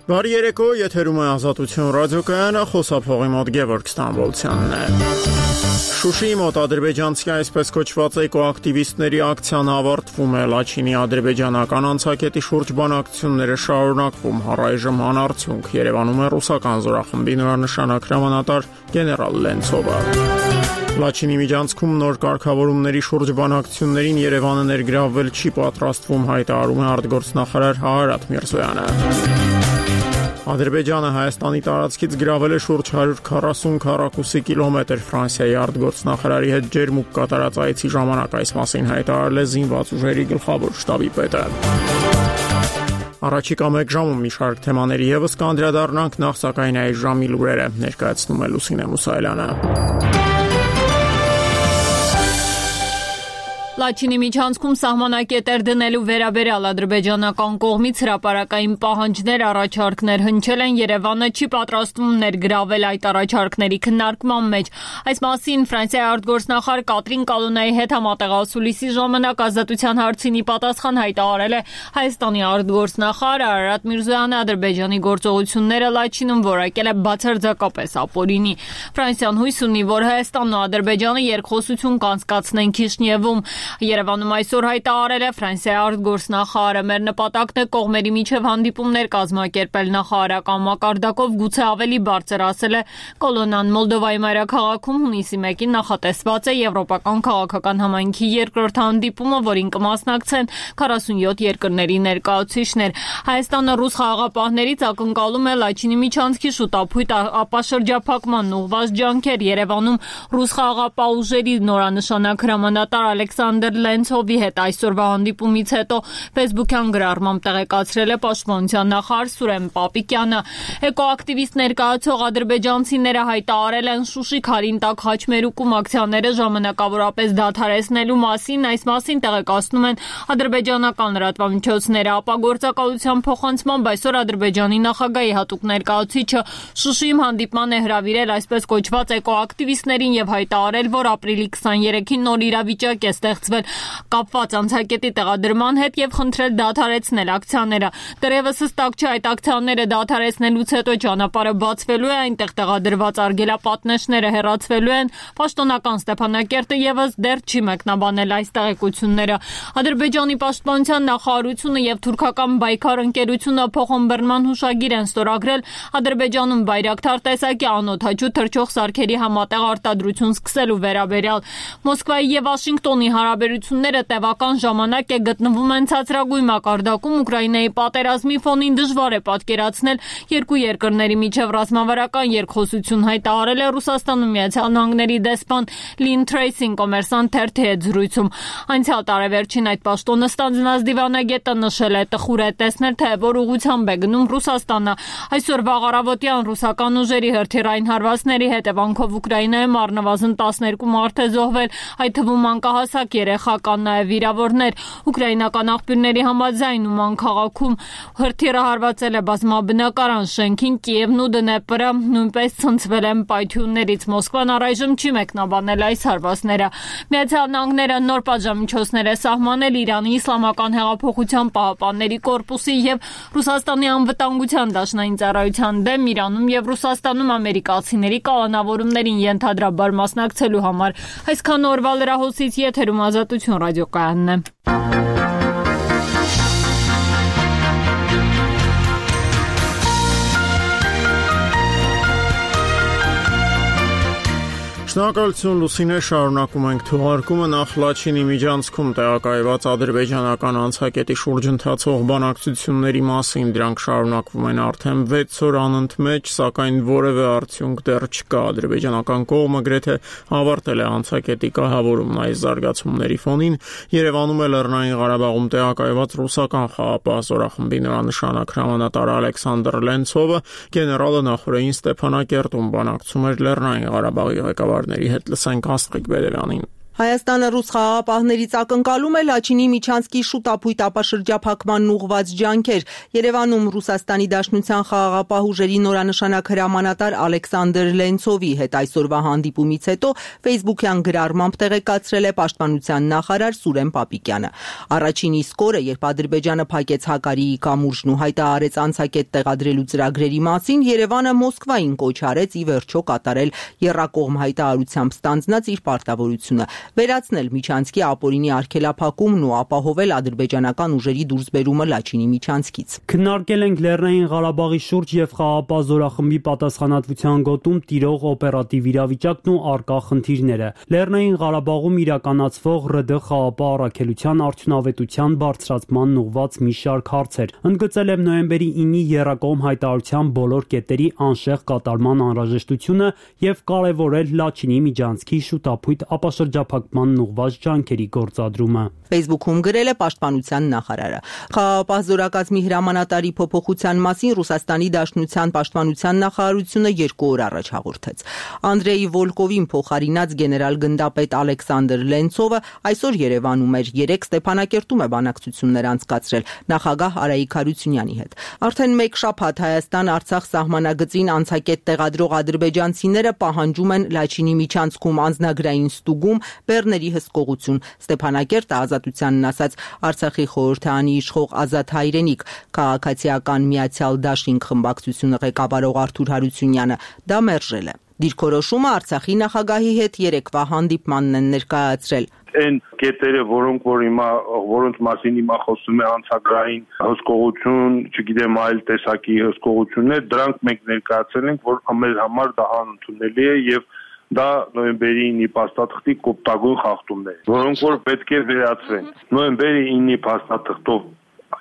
Բարի երեկո, եթերում է Ազատություն ռադիոկայանը, խոսափողի մոտ Գևորգ Ստամբոլցյանն է։ Շուշիի մոտ ադրբեջանցի այսպես կոչված էկոակտիվիստների ակցիան ավարտվում է, Լաչինի ադրբեջանական անցակետի շուրջ բանակցությունները շարունակվում, առայժմ անարդյունք, Երևանում է ռուսական զորախմբի նորանշանակ հրամանատար գեներալ Լենցովը։ Լաչինի միջանցքում նոր կարգավորումների շուրջ բանակցություններին Երևանը ներգրավվել չի պատրաստվում, հայտարարում է արտգործնախարար Հարարատ Միրզոյանը։ Ադրբեջանը Հայաստանի տարածքից գրավել է շուրջ 140 քառակուսի կիլոմետր, Ֆրանսիայի արտգործնախարարի հետ ջերմուկ կատարած այցի ժամանակ այս մասին հայտարարել է զինված ուժերի գլխավոր շտաբի պետը։ Առաջիկա մեկ ժամում մի շարք թեմաների ևս կանդրադառնանք, նախ սակայն այս ժամի լուրերը ներկայացնում է Լուսինե Մուսայելյանը։ Լաչինի միջանցքում սահմանակետեր դնելու վերաբերյալ ադրբեջանական կողմից հրապարակային պահանջներ, առաջարկներ հնչել են, Երևանը չի պատրաստվում ներգրավել այդ առաջարկների քննարկման մեջ։ Այս մասին Ֆրանսիայի արտգործնախարար Կատրին Կալոնայի հետ համատեղասուլիսի ժամանակ Ազատության հարցին պատասխան հայտարարել է Հայաստանի արտգործնախարար Հարարատ Միրզոյանը, Ադրբեջանի գործողությունները Լաչինում որակել է բացարձակապես ապօրինի։ Ֆրանսիան հույս ունի, որ Հայաստանն ու Ադրբեջանը երկխոսություն կանցկացնեն Քիշնիևում։ Երևանում այսօր հայտարարել է Ֆրանսիայի արտգործնախարարը, մեր նպատակն է կողմերի միջև հանդիպումներ կազմակերպել նախարարական մակարդակով, գուցե ավելի բարձր, ասել է Կոլոնան։ Մոլդովայի մայրաքաղաքում հունիսի 1-ին նախատեսված է Եվրոպական քաղաքական համայնքի երկրորդ հանդիպումը, որին կմասնակցեն 47 երկրների ներկայացուցիչներ։ Հայաստանը ռուս խաղաղապահներից ակնկալում է Լաչինի միջանցքի շուտապույտ ապաշրջափակման ուղղված ջանքեր։ Երևանում ռուս խաղաղապահ ուժերի նորանշանակ հրամանատար Ալեքսանդր Լենցովի հետ այսօրվա հանդիպումից հետո Facebook-յան գրառմամբ տեղեկացրել է Պաշտպանության նախարար Սուրեն Պապիկյանը։ Էկոակտիվիստ ներկայացող ադրբեջանցիները հայտարարել են Շուշի Քարինտակ Խաչմերուկում ակցիաները ժամանակավորապես դադարեցնելու մասին, այս մասին տեղեկացնում են ադրբեջանական լրատվամիջոցները։ Ապագործակալության փոխանցմամբ այսօր Ադրբեջանի նախագահի հատուկ ներկայացուցիչը Շուշիում հանդիպման է հրավիրել այսպես կոչված էկոակտիվիստներին եւ հայտարարել, որ ապրիլի 23-ին նոր իրավիճակ է ստեղծվել կապված անցակետի տեղադրման հետ եւ խնդրել դադարեցնել ակցիաները։ Դեռևս հստակ չէ այդ ակցիաները դադարեցնելուց հետո ճանապարհը բացվելու է, այնտեղ տեղադրված արգելապատնեշները հեռացվելու են, պաշտոնական Ստեփանակերտը եւս դեռ չի մեկնաբանել այս տեղեկությունները։ Ադրբեջանի պաշտպանության նախարարությունը եւ թուրքական Բայքար ընկերությունը փոխըմբռնման հուշագիր են ստորագրել Ադրբեջանում Բայրակթար տեսակի անօդաչու թռչող սարքերի համատեղ արտադրություն սկսելու վերաբերյալ։ Մոսկվայի եւ Վաշինգտոնի հարաբերությունները տևական ժամանակ է գտնվում են ցածրագույն մակարդակում, Ուկրաինայի պատերազմի ֆոնին դժվար է պատկերացնել երկու երկրների միջև ռազմավարական երկխոսություն, հայտարարել է Ռուսաստանում Միացյալ Նահանգների դեսպան Լին Թրեյսին Կոմերսանտ թերթի հետ զրույցում։ Անցյալ տարեվերջին այդ պաշտոնը ստանձնած դիվանագետը նշել է, տխուր է տեսնել, թե որ ուղղությամբ է գնում Ռուսաստանը։ Այսօր վաղ առավոտյան ռուսական ուժերի հրթիռային հարվածների հետևանքով Ուկրաինայում առնվազն 12 մարդ է զոհվել, այդ թվում մանկահասակ երեխա կան նաև վիրավորներ։ Ուկրաինական աղբյուրների համաձայն Ուման քաղաքում հրթիռը հարվածել է բազմաբնակարան շենքին, Կիևն ու Դնեպրը նույնպես ցնցվել են պայթյուններից։ Մոսկվան առայժմ չի մեկնաբանել այս հարվածները։ Միացյալ Նահանգները նոր պատժամիջոցներ է սահմանել Իրանի Իսլամական հեղափոխության պահապանների կորպուսի եւ Ռուսաստանի անվտանգության դաշնային ծառայության դեմ Իրանում եւ Ռուսաստանում ամերիկացիների կալանավորումներին ենթադրաբար մասնակցելու համար։ Այսքան օրվա լրահոսից եթերում Ազատություն ռադիոկայանն է։ Շնորհակալություն Լուսինե, շարունակում ենք թողարկումը, նախ Լաչինի միջանցքում տեղակայված ադրբեջանական անցակետի շուրջ ընթացող բանակցությունների մասին, դրանք շարունակվում են արդեն 6 օր անընդմեջ, սակայն որևէ արդյունք դեռ չկա։ Ադրբեջանական կողմը գրեթե ավարտել է անցակետի կահավորումն այս զարգացումների ֆոնին, Երևանում է Լեռնային Ղարաբաղում տեղակայված ռուսական խաղաղապահ զորախմբի նորանշանակ հրամանատար Ալեքսանդր Լենցովը, գեներալը նախորդին Ստեփանակերտում բանակցում էր Լեռնային Ղարաբաղի ղեկավարների հետ, լսենք Աստղիկ Բերևյանին։ Հայաստանը ռուս խաղաղապահներից ակնկալում է Լաչինի Միչանսկի շուտապույտ ապաշրջափակման ուղղված ջանքեր։ Երևանում Ռուսաստանի Դաշնության խաղաղապահ ուժերի նորանշանակ հրամանատար Ալեքսանդր Լենցովի հետ այսօրվա հանդիպումից հետո Facebook-յան գրառմամբ տեղեկացրել է Պաշտպանության նախարար Սուրեն Պապիկյանը։ Առաջին իսկ օրը, երբ Ադրբեջանը փակեց Հակարիի կամուրջն ու հայտարարեց անցակետ տեղադրելու ծրագրերի մասին, Երևանը Մոսկվային կոչ արեց ի վերջո կատարել եռակողմ հայտարարությամբ ստանձնած իր պարտավորությունը։ Վերացնել Միչանսկի ապօրինի արգելափակումն ու ապահովել ադրբեջանական ուժերի դուրսբերումը Լաչինի Միչանսկից։ Քննարկել ենք Լեռնային Ղարաբաղի շուրջ եւ խաղաղապահ զորախմբի պատասխանատվության գոտում տիրող օպերատիվ իրավիճակն ու առկա խնդիրները։ Լեռնային Ղարաբաղում իրականացվող ՌԴ խաղաղապահ առաքելության արդյունավետության բարձրացման ուղղված մի շարք հարցեր։ Ընդգծել եմ նոյեմբերի 9-ի եռակողմ հայտարարության բոլոր կետերի անշեղ կատարման անհրաժեշտությունը եւ կարեւորել Լաչինի Միչանսկի շուտապույտ ապաշրջափակմանն ուղղված ջանքերի գործադրումը։ Facebook-ում գրել է Պաշտպանության նախարարը։ Խաղաղապահ զորակազմի հրամանատարի փոփոխության մասին Ռուսաստանի Դաշնության պաշտպանության նախարարությունը 2 օր առաջ հաղորդեց։ Անդրեյ Վոլկովին փոխարինած գեներալ գնդապետ Ալեքսանդր Լենցովը այսօր Երևանում էր, 3 Ստեփանակերտում է բանակցություններ անցկացրել նախագահ Արայիկ Հարությունյանի հետ։ Արդեն 1 շաբաթ Հայաստան-Արցախ սահմանագծին անցակետ տեղադրող ադրբեջանցիները պահանջում են Լաչինի Միչանսկում անձնագրային ստուգում, բեռների հսկողություն։ Ստեփանակերտը ազատությանն ասաց Արցախի խորհրդարանի իշխող Ազատ Հայրենիք, քաղաքացիական Միացյալ Դաշինք խմբակցությունը ղեկավարող Արթուր Հարությունյանը դա մերժել է։ Դիրքորոշումը Արցախի նախագահի հետ երեկվա հանդիպմանն են ներկայացրել։ Այն կետերը, որոնց մասին հիմա խոսում է անցագրային հսկողություն, չգիտեմ այլ տեսակի հսկողություններ, դրանք մենք ներկայացրել ենք, որ մեր համար դա անընդունելի է եւ դա նոյեմբերի 9-ի փաստաթղթի կոպտագույն խախտումներ, որոնք որ պետք է վերացվեն։ Նոյեմբերի 9-ի փաստաթղթով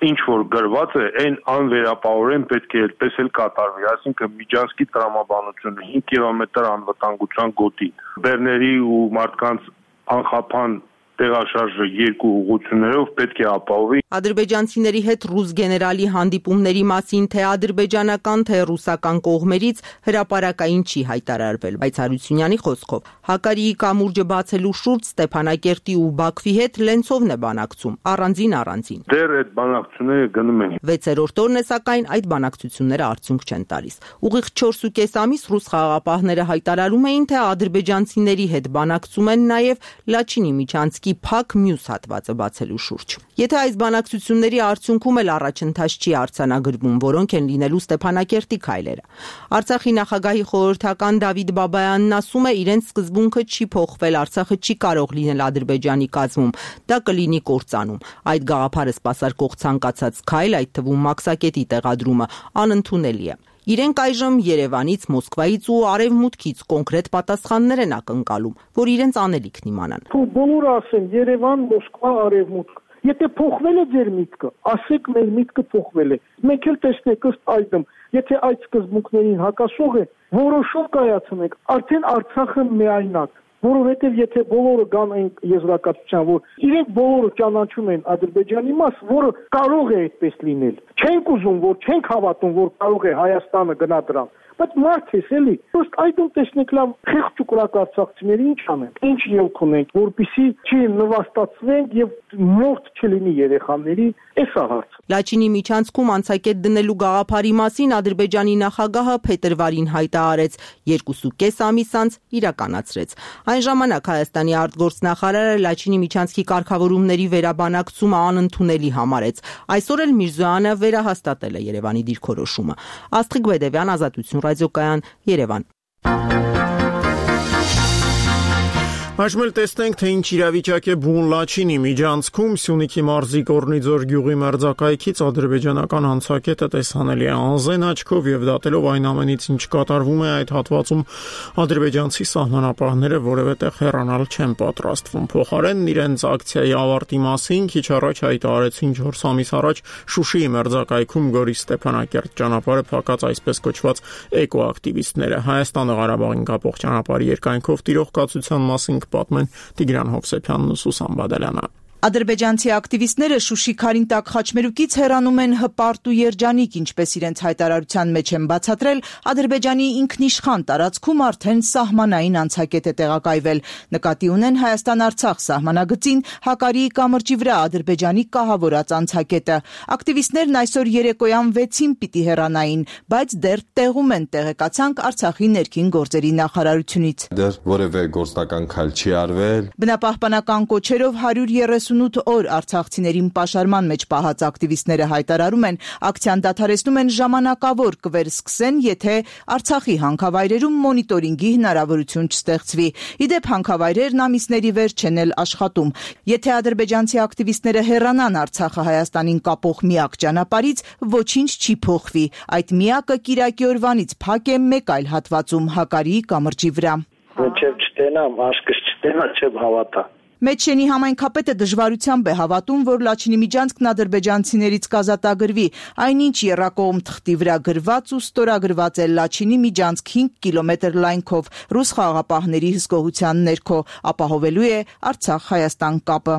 ինչ որ գրված է, այն անվերապահորեն պետք է այդպես էլ կատարվի, այսինքն Միչանսկի տրամաբանությունը 5 կիլոմետր անվտանգության գոտի, բեռների ու մարդկանց անխափան տեղաշարժը 2 ուղղություններով պետք է ապահովի։ Ադրբեջանցիների հետ ռուս գեներալի հանդիպումների մասին թե ադրբեջանական, թե ռուսական կողմերից հրապարակային չի հայտարարվել, բայց Հարությունյանի խոսքով Հակարիի կամուրջը բացելու շուրջ Ստեփանակերտի ու Բաքվի հետ Լենցովն է բանակցում, առանձին։ Դեռ այդ բանակցությունները գնում են։ 6-րդ օրն է, սակայն այդ բանակցությունները արդյունք չեն տալիս։ Ուղիղ 4.5 ամիս ռուս խաղաղապահները հայտարարում էին, թե ադրբեջանցիների հետ բանակցում են նաև Լաչինի Միչանսկի փակ մյուս հատվածը բացելու շուրջ։ Եթե այս բանակցությունների արդյունքում էլ առաջընթաց չի արձանագրվում, որոնք են լինելու Ստեփանակերտի քայլերը։ Արցախի նախագահի խորհրդական Դավիթ Բաբայանն ասում է, իրենց սկզբունքը չի փոխվել, Արցախը չի կարող լինել Ադրբեջանի կազմում, դա կլինի կործանում։ Այդ գաղափարը սպասարկող ցանկացած քայլ, այդ թվում Մաքսակետի տեղադրումը, անընդունելի է։ Իրենք այժմ Երևանից, Մոսկվայից ու Արևմուտքից կոնկրետ պատասխաններ են ակնկալում, որ իրենց անելիքն իմանան։ Բոլորը ասեն Երևան, Մոսկվա, Արևմուտք։ Եթե փոխվել է ձեր միտքը, ասեք մեր միտքը փոխվել է։ Մենք էլ տեսնենք ըստ այդմ, եթե այդ սկզբունքներին հակասող է, որոշում կայացնենք, արդեն Արցախը միայնակ։ Որովհետև եթե բոլորը գան այն եզրակացության, որ իրենք բոլորը ճանաչում են Ադրբեջանի մաս, որը կարող է այդպես լինել։ Չենք ուզում, որ չենք հավատում, որ կարող է Հայաստանը գնա դրան։ Բայց մարդ է, էլի։ Ըստ այդում տեսնեք լավ խեղճ ու կրակ արցախցիների ինչ անենք, ինչ ելք ունենք, որպեսզի չի նվաստացվենք եւ մորթ չլինի երեխաների, էս է հարցը։ Լաչինի Միչանսկում անցակետ դնելու գաղափարի մասին Ադրբեջանի նախագահը փետրվարին հայտարարեց, 2.5 ամիս անց իրականացրեց։ Այն ժամանակ Հայաստանի արտգործնախարարը Լաչինի Միչանսկի կարգավորումների վերաբանակցումը անընդունելի համարեց։ Այսօր էլ Միրզոյանը վերահաստատել է Երևանի դիրքորոշումը։ Աստղիկ Բեդևյան, Ազատություն ռադիոկայան, Երևան։ Այժմ էլ տեսնենք, թե ինչ իրավիճակ է բուն Լաչինի Միչանսկում, Սյունիքի մարզի Կորնիձոր գյուղի մերձակայքից ադրբեջանական անցակետը տեսանելի է անզեն աչքով եւ դատելով այն ամենից, ինչ կատարվում է այդ հատվածում, ադրբեջանցի սահմանապահները որևէ տեղ հեռանալ չեն պատրաստվում։ Փոխարենն իրենց ակցիայի ավարտի մասին քիչ առաջ հայտարարեցին 4 ամիս առաջ Շուշիի մերձակայքում Գորիս Ստեփանակերտ ճանապարհը փակած այսպես կոչված էկոակտիվիստները։ Հայաստանը Ղարաբաղին կապող ճանապարհի երկայնքով տիրող կացության մասին պատմեն Տիգրան Հովսեփյանն ու Սուսան Բադալյանը։ Ադրբեջանցի ակտիվիստները Շուշի Քարինտակ խաչմերուկից հեռանում են հպարտ ու երջանիկ, ինչպես իրենց հայտարարության մեջ են բացատրել, Ադրբեջանի ինքնիշխան տարածքում արդեն սահմանային անցակետ է տեղակայվել։ Նկատի ունեն Հայաստան-Արցախ սահմանագծին Հակարիի կամրջի վրա Ադրբեջանի կահավորած անցակետը։ Ակտիվիստներն այսօր երեկոյան 6-ին պիտի հեռանային, բայց դեռ տեղում են, տեղեկացանք Արցախի ներքին գործերի նախարարությունից։ Դեռ որևէ գործնական քայլ չի արվել։ Բնապահպանական կոչերով 138 օր արցախցիներին պաշարման մեջ պահած ակտիվիստները հայտարարում են, ակցիան դադարեցնում են ժամանակավոր, կվերսկսեն, եթե Արցախի հանքավայրերում մոնիտորինգի հնարավորություն չստեղծվի։ Իդեպ հանքավայրերն ամիսների վերջ չեն էլ աշխատում։ Եթե ադրբեջանցի ակտիվիստները հեռանան Արցախը Հայաստանին կապող միակ ճանապարհից, ոչինչ չի փոխվի։ Այդ միակը կիրակի օրվանից փակ է մեկ այլ հատվածում Հակարիի կամրջի վրա։ Մինչև չտենամ, աշկս չտենա, չեմ հավատա։ Մեջշենի համայնքապետը դժվարությամբ է հավատում, որ Լաչինի միջանցքն ադրբեջանցիներից կազատագրվի։ Այնինչ եռակողմ թղթի վրա գրված ու ստորագրված է Լաչինի միջանցք 5 կիլոմետր լայնքով ռուս խաղաղապահների հսկողության ներքո, ապահովելու է Արցախ-Հայաստան կապը։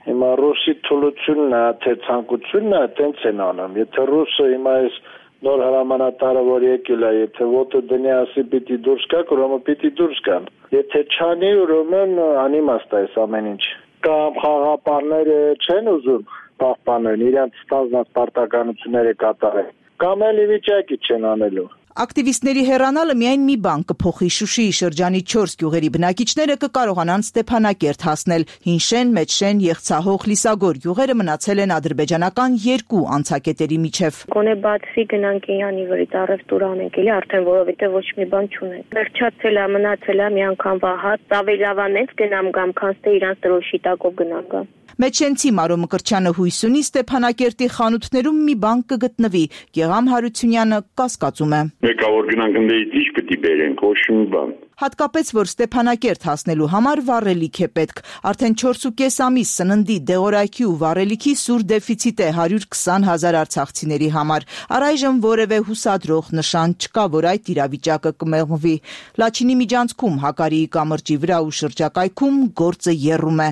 Հիմա ռուսի թուլությունն է, թե ցանկությունն է, տենց են անում։ Եթե ռուսը հիմա այս նոր հրամանատարը որ եկել է, եթե ոտը դնի ասի պիտի դուրս գա, ուրեմն պիտի դուրս գան։ Եթե չանի, ուրեմն անիմաստ է ամեն ինչ։ Կամ խաղապարները չեն ուզում պահպանել, իրենց ստանձնած պարտականությունները կատարել։ Կամ էլ վիճակի չեն անելու։ Ակտիվիստների հեռանալը միայն մի բան կփոխի։ Շուշիի շրջանի 4 գյուղերի բնակիչները կկարողանան Ստեփանակերտ հասնել։ Հինշեն, Մեջշեն, Եղցահող, Լիսագոր գյուղերը մնացել են ադրբեջանական 2 անցակետերի միջև։ Գոնե բացի գնանք Իրանի վրից առևտուր անենք, էլի արդեն որովհետեւ ոչ մի բան չունենք։ Վերջացել է, մնացել է մի անգամ վահած, ավելավանից գնամ գամ, քան թե իրանց դրոշի տակով գնամ գամ։ Մեջշենցի Մարո Մկրտչյանը հույս ունի Ստեփանակերտի խանութներում մի բան կգտնվի։ Գեգամ Հարությունյանը կասկածում է։ Մեկը որ գնանք ընդդից ինչ պիտի բերենք, ոչ մի բան։ Հատկապես որ Ստեփանակերտ հասնելու համար վառելիք է պետք։ Արդեն 4.5 ամիս սննդի, դեղորայքի ու վառելիքի սուր դեֆիցիտ է 120,000 արցախցիների համար։ Առայժմ որևէ հուսադրող նշան չկա, որ այդ իրավիճակը կմեղմվի։ Լաչինի միջանցքում Հակարիի կամրջի վրա ու շրջակայքում գործը եռում է։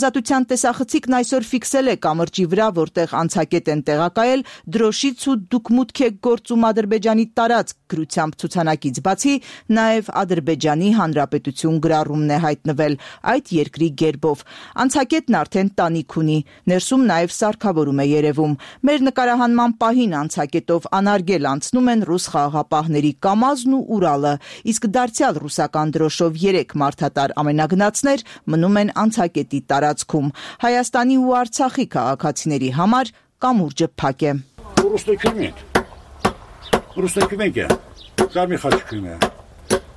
Ազատության տեսախցիկն այսօր ֆիքսել է կամրջի վրա, որտեղ անցակետ են տեղակայել դրոշից ու դուք մուտք եք գործում Ադրբեջանի տարածք գրությամբ ցուցանակից բացի, նաև Ադրբեջանի Հանրապետություն գրառումն է հայտնվել այդ երկրի գերբով։ Անցակետն արդեն տանիք ունի, ներսում նաև սարքավորում է երևում։ Մեր նկարահանման պահին անցակետով անարգել անցնում են ռուս խաղաղապահների Կամազն ու Ուրալը, իսկ դարձյալ ռուսական դրոշով 3 մարդատար ամենագնացներ մնում են անցակետի տարածքում։ Հայաստանի ու Արցախի քաղաքացիների համար կամուրջը փակ է։ Կարմիր խաչքույն է,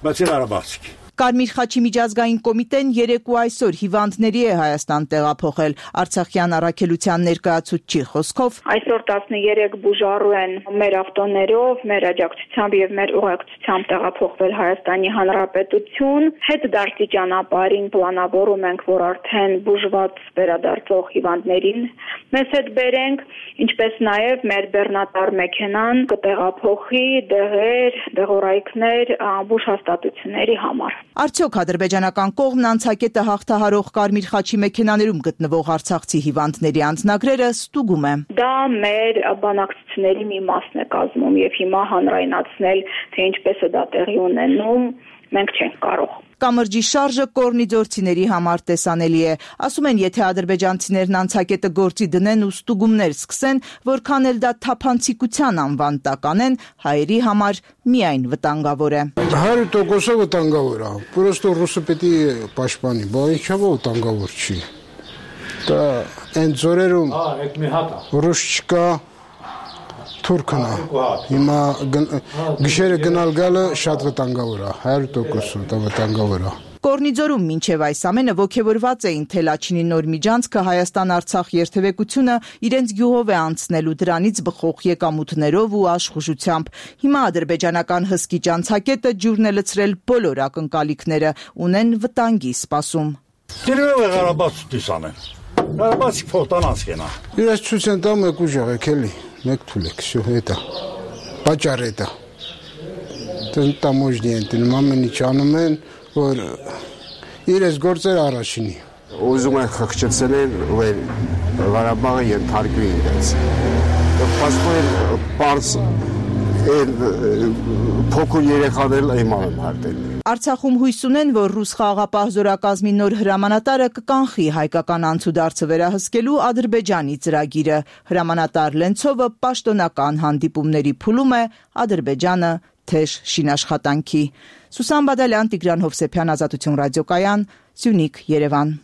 բացի Ղարաբաղցիք։ Կարմիր խաչի միջազգային կոմիտեն երեկո այսօր հիվանդների է Հայաստան տեղափոխել։ Արցախյան առաքելության ներկայացուցչի խոսքով այսօր 13 բուժառու են մեր ավտոներով, մեր աջակցությամբ եւ մեր ուղեկցությամբ տեղափոխվել Հայաստանի Հանրապետություն։ Հետդարձի ճանապարհին պլանավորում ենք, որ արդեն բուժված վերադարձող հիվանդներին մեզ հետ բերենք, ինչպես նաեւ մեր բեռնատար մեքենան կտեղափոխի դեղեր, դեղորայքներ բուժհաստատությունների համար։ Արդյոք ադրբեջանական կողմն անցակետը հաղթահարող Կարմիր խաչի մեքենաներում գտնվող արցախցի հիվանդների անձնագրերը ստուգում է։ Դա մեր բանակցությունների մի մասն է կազմում եւ հիմա հանրայնացնել, թե ինչպես է դա տեղի ունենում, մենք չենք կարող։ Կամրջի շարժը կորնիձորցիների համար տեսանելի է։ Ասում են, եթե ադրբեջանցիներն անցակետը գործի դնեն ու ստուգումներ սկսեն, որքան էլ դա թափանցիկության անվան տակ անեն, հայերի համար միայն վտանգավոր է։ 100% վտանգավոր է։ Պրոստո ռուսը պետք է պաշտպանի, բայց ինչով վտանգավոր չի։ Դա այն ձորերում ռուս չկա, թուրքն է։ Հիմա գիշերը գնալ գալը շատ վտանգավոր է, 100% վտանգավոր է։ Կորնիձորում մինչև այս ամենը ոգևորված էին, թե Լաչինի նոր միջանցքը Հայաստան-Արցախ երթևեկությունը իրենց գյուղով է անցնելու դրանից բխող եկամուտներով ու աշխուժությամբ։ Հիմա ադրբեջանական հսկիչ անցակետը ջուրն է լցրել բոլոր ակնկալիքները, ունեն վտանգի սպասում։ Դերով է Ղարաբաղ դիսանեն։ Ղարաբաղի փոխտանած կենա։ Իրաց ցույց են տամ եկու ջաղեք էլի։ Մեկ թուլեք, всё это. Պատճառ է դա։ Տամոժնի են տնում ամեն ինչ անում են, որ իրենց գործերը առաջինի։ ուզում են խղճեցնել որ Ղարաբաղը ենթարկվի իրենց։ Պաշտպան պարզ փոքր երեխաներ իմանալ հարտել։ Արցախում հույս ունեն, որ ռուս խաղաղապահ զորակազմի նոր հրամանատարը կկանխի հայկական անցուդարձը վերահսկելու Ադրբեջանի ծրագիրը։ Հրամանատար Լենցովը պաշտոնական հանդիպումների փուլում է, Ադրբեջանը թեժ շինաշխատանքի։ Սուսան Բադալյան, Տիգրան Հովսեփյան, Ազատություն ռադիոկայան, Սյունիք, Երևան։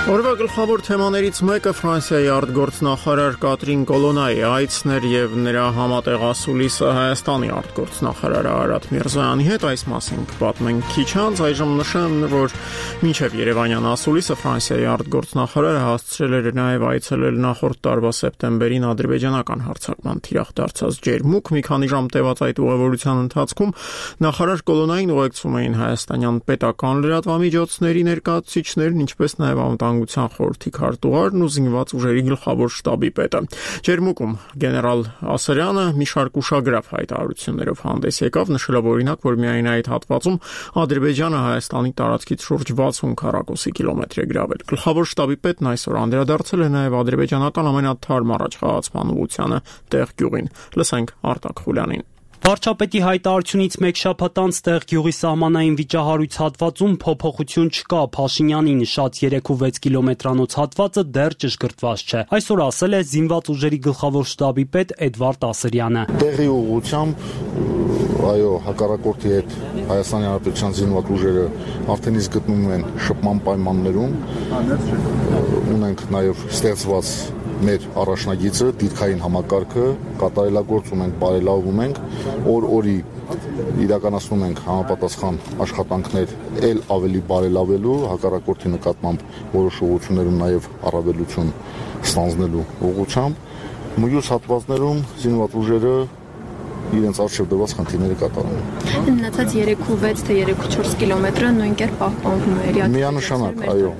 Օրվա գլխավոր թեմաներից մեկը Ֆրանսիայի արտգործնախարար Կատրին Կոլոնայի այցն էր եւ նրա համատեղասուլիսը Հայաստանի արտգործնախարար Արարատ Միրզոյանի հետ, այս մասին կպատմենք քիչ անց, այժմ նշեմ, որ մինչեւ Երևանյան ասուլիսը Ֆրանսիայի արտգործնախարարը հասցրել էր նաեւ այցելել նախորդ տարվա սեպտեմբերին ադրբեջանական հարձակման թիրախ դարձած Ջերմուկ, մի քանի ժամ տևած այդ ուղևորության ընթացքում նախարար Կոլոնային ուղեկցում էին հայաստանյան պետական լրատվամիջոցների ներկայացուցիչներն, ինչպես նաեւ անվտանգության խորհրդի քարտուղարն ու զինված ուժերի գլխավոր շտաբի պետը։ Ջերմուկում գեներալ Ասարյանը մի շարք ուշագրավ հայտարարություններով հանդես եկավ, նշելով օրինակ, որ միայն այդ հատվածում Ադրբեջանը Հայաստանի տարածքից շուրջ 60 քառակուսի կիլոմետր է գրավել։ Գլխավոր շտաբի պետն այսօր անդրադարձել է նաև ադրբեջանական ամենաթարմ առաջխաղացման ուղղությանը տեղ գյուղին։ Լսենք Արտակ Խուլյանին։ Վարչապետի հայտարարությունից մեկ շաբաթ անց տեղ գյուղի սահմանային վիճահարույց հատվածում փոփոխություն չկա։ Փաշինյանի նշած 3-6 կիլոմետրանոց հատվածը դեռ ճշգրտված չէ։ Այսօր ասել է զինված ուժերի գլխավոր շտաբի պետ Էդվարդ Ասրյանը։ Տեղի ուղղությամբ այո, հակառակորդի հետ Հայաստանի Հանրապետության զինված ուժերը արդեն իսկ գտնվում են շփման պայմաններում։ Ունենք նաև ստեղծված մեր առաջնագիծը, դիրքային համակարգը կատարելագործում ենք, բարելավում ենք, օր-օրի իրականացնում ենք համապատասխան աշխատանքներ ել ավելի բարելավելու, հակառակորդի նկատմամբ որոշ ուղղություններում նաև առավելություն ստանձնելու ուղղությամբ։ Մյուս հատվածներում զինված ուժերը իրենց արժև դրված խնդիրները կատարում են։ Մնացած 3-6 թե 3-4 կիլոմետրը նույն կերպ պահպանվում է։ Միանշանակ, այո,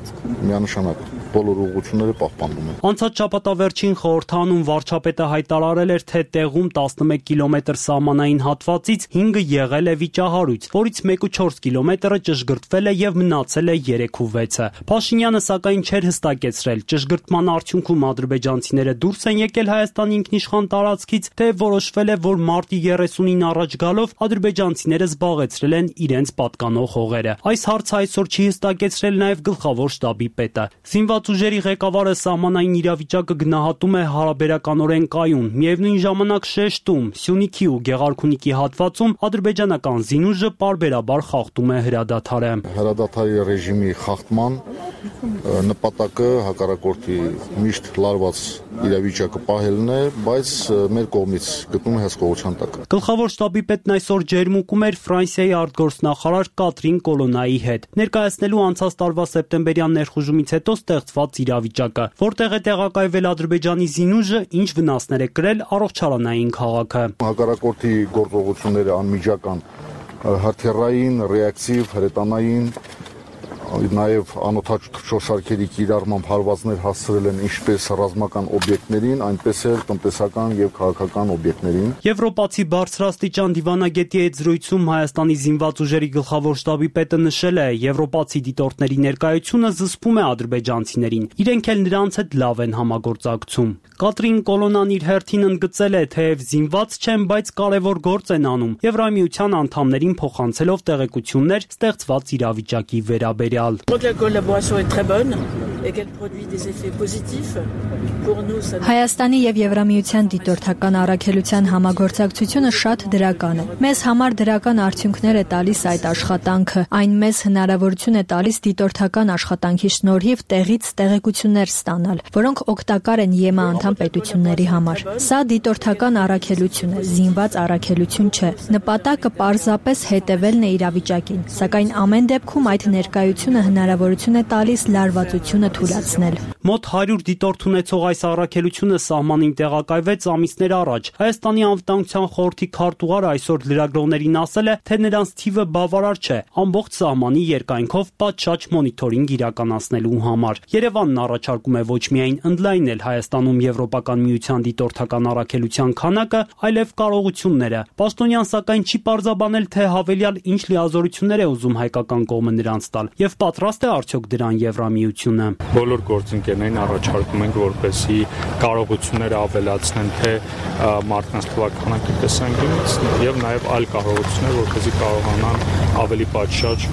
միանշանակ բոլոր ուղղությունները պահպանվում են։ Անցած շաբաթավերջին խորհրդանում վարչապետը հայտարարել էր, թե տեղում 11 կիլոմետր սահմանային հատվածից 5-ը եղել է վիճահարույց, որից 1.4 կիլոմետրը ճշգրտվել է եւ մնացել է 3-6-ը։ Փաշինյանը սակայն չէր հստակեցրել, ճշգրտման արդյունքում ադրբեջանցիները դուրս են եկել Հայաստանի ինքնիշխան տարածքից, թե որոշվել է, որ մարտի 30-ին առաջ գալով ադրբեջանցիները զբաղեցրել են իրենց պատկանող հողերը։ Այս հարցը այսօր չի հստակեցրել նաեւ գլխավոր շտաբի պետը։ Զինված ուժերի ղեկավարը սահմանային իրավիճակը գնահատում է հարաբերականորեն կայուն, միևնույն ժամանակ շեշտում Սյունիքի ու Գեղարքունիքի հատվածում ադրբեջանական զինուժը պարբերաբար խախտում է հրադադարը։ Հրադադարի ռեժիմի խախտման նպատակը հակառակորդի միշտ լարված իրավիճակը պահելն է, բայց մեր կողմից գտնում է հսկողության տակ։ Գլխավոր շտաբի պետն այսօր Ջերմուկում էր Ֆրանսիայի արտգործնախարար Կատրին Կոլոնայի հետ, ներկայացնելու անցած տարվա սեպտեմբերյան ներխուժումից հետո ստեղծված իրավիճակը, որտեղ է տեղակայվել Ադրբեջանի զինուժը, ինչ վնասներ է կրել առողջարանային քաղաքը։ Հակառակորդի գործողությունները անմիջական, հրթիռային, ռեակտիվ, հրետանային, նաև անօթաչ թռչորշարքերի կիրառմամբ հարվածներ հասցրել են ինչպես ռազմական օբյեկտներին, այնպես էլ տնտեսական եւ քաղաքական օբյեկտներին։ Եվրոպացի բարձրաստիճան դիվանագետի հետ զրույցում Հայաստանի զինված ուժերի գլխավոր շտաբի պետը նշել է, եվրոպացի դիտորդների ներկայությունը զսպում է ադրբեջանցիներին, իրենք էլ նրանց հետ լավ են համագործակցում։ Կատրին Կոլոնան իր հերթին ընդգծել է, թեև զինված չեն, բայց կարևոր գործ են անում, Եվրամիության անդամներին փոխանցելով տեղեկություններ ստեղծված իրավիճակի վերաբերյալ։ Հայաստանի եւ Եվրամիության դիտորդական առաքելության համագործակցությունը շատ դրական է։ Մեզ համար դրական արդյունքներ է տալիս այդ աշխատանքը, այն մեզ հնարավորություն է տալիս դիտորդական աշխատանքի շնորհիվ տեղից տեղեկություններ ստանալ, որոնք օգտակար են ԵՄ անդամ պետությունների համար։ Սա դիտորդական առաքելություն է, զինված առաքելություն չէ։ Նպատակը պարզապես հետևելն է իրավիճակին, սակայն ամեն դեպքում այդ ներկայությունը հնարավորություն է տալիս լարվածությունը թույլատրել։ Մոտ 100 դիտորդ ունեցող այս առաքելությունը սահմանին տեղակայվեց ամիսներ առաջ։ Հայաստանի անվտանգության խորհրդի քարտուղարը այսօր լրագրողներին ասել է, թե նրանց թիվը բավարար չէ ամբողջ սահմանի երկայնքով պատշաճ մոնիթորինգ իրականացնելու համար։ Երևանն առաջարկում է ոչ միայն ընդլայնել Հայաստանում Եվրոպական միության դիտորդական առաքելության քանակը, այլև կարողությունները։ Պաշտոնյան սակայն չի պարզաբանել, թե հավելյալ ինչ լիազորություններ է ուզում հայկական կողմը նրանց տալ եւ պատրաստ է արդյոք դրան Եվրամիությունը։ Բոլոր գործընկերներին առաջարկում ենք, որպեսզի կարողությունները ավելացնեն թե մարդկանց թվականակի տեսանկյունից եւ նաեւ այլ կարողություններ, որպեսզի կարողանան ավելի պատշաճ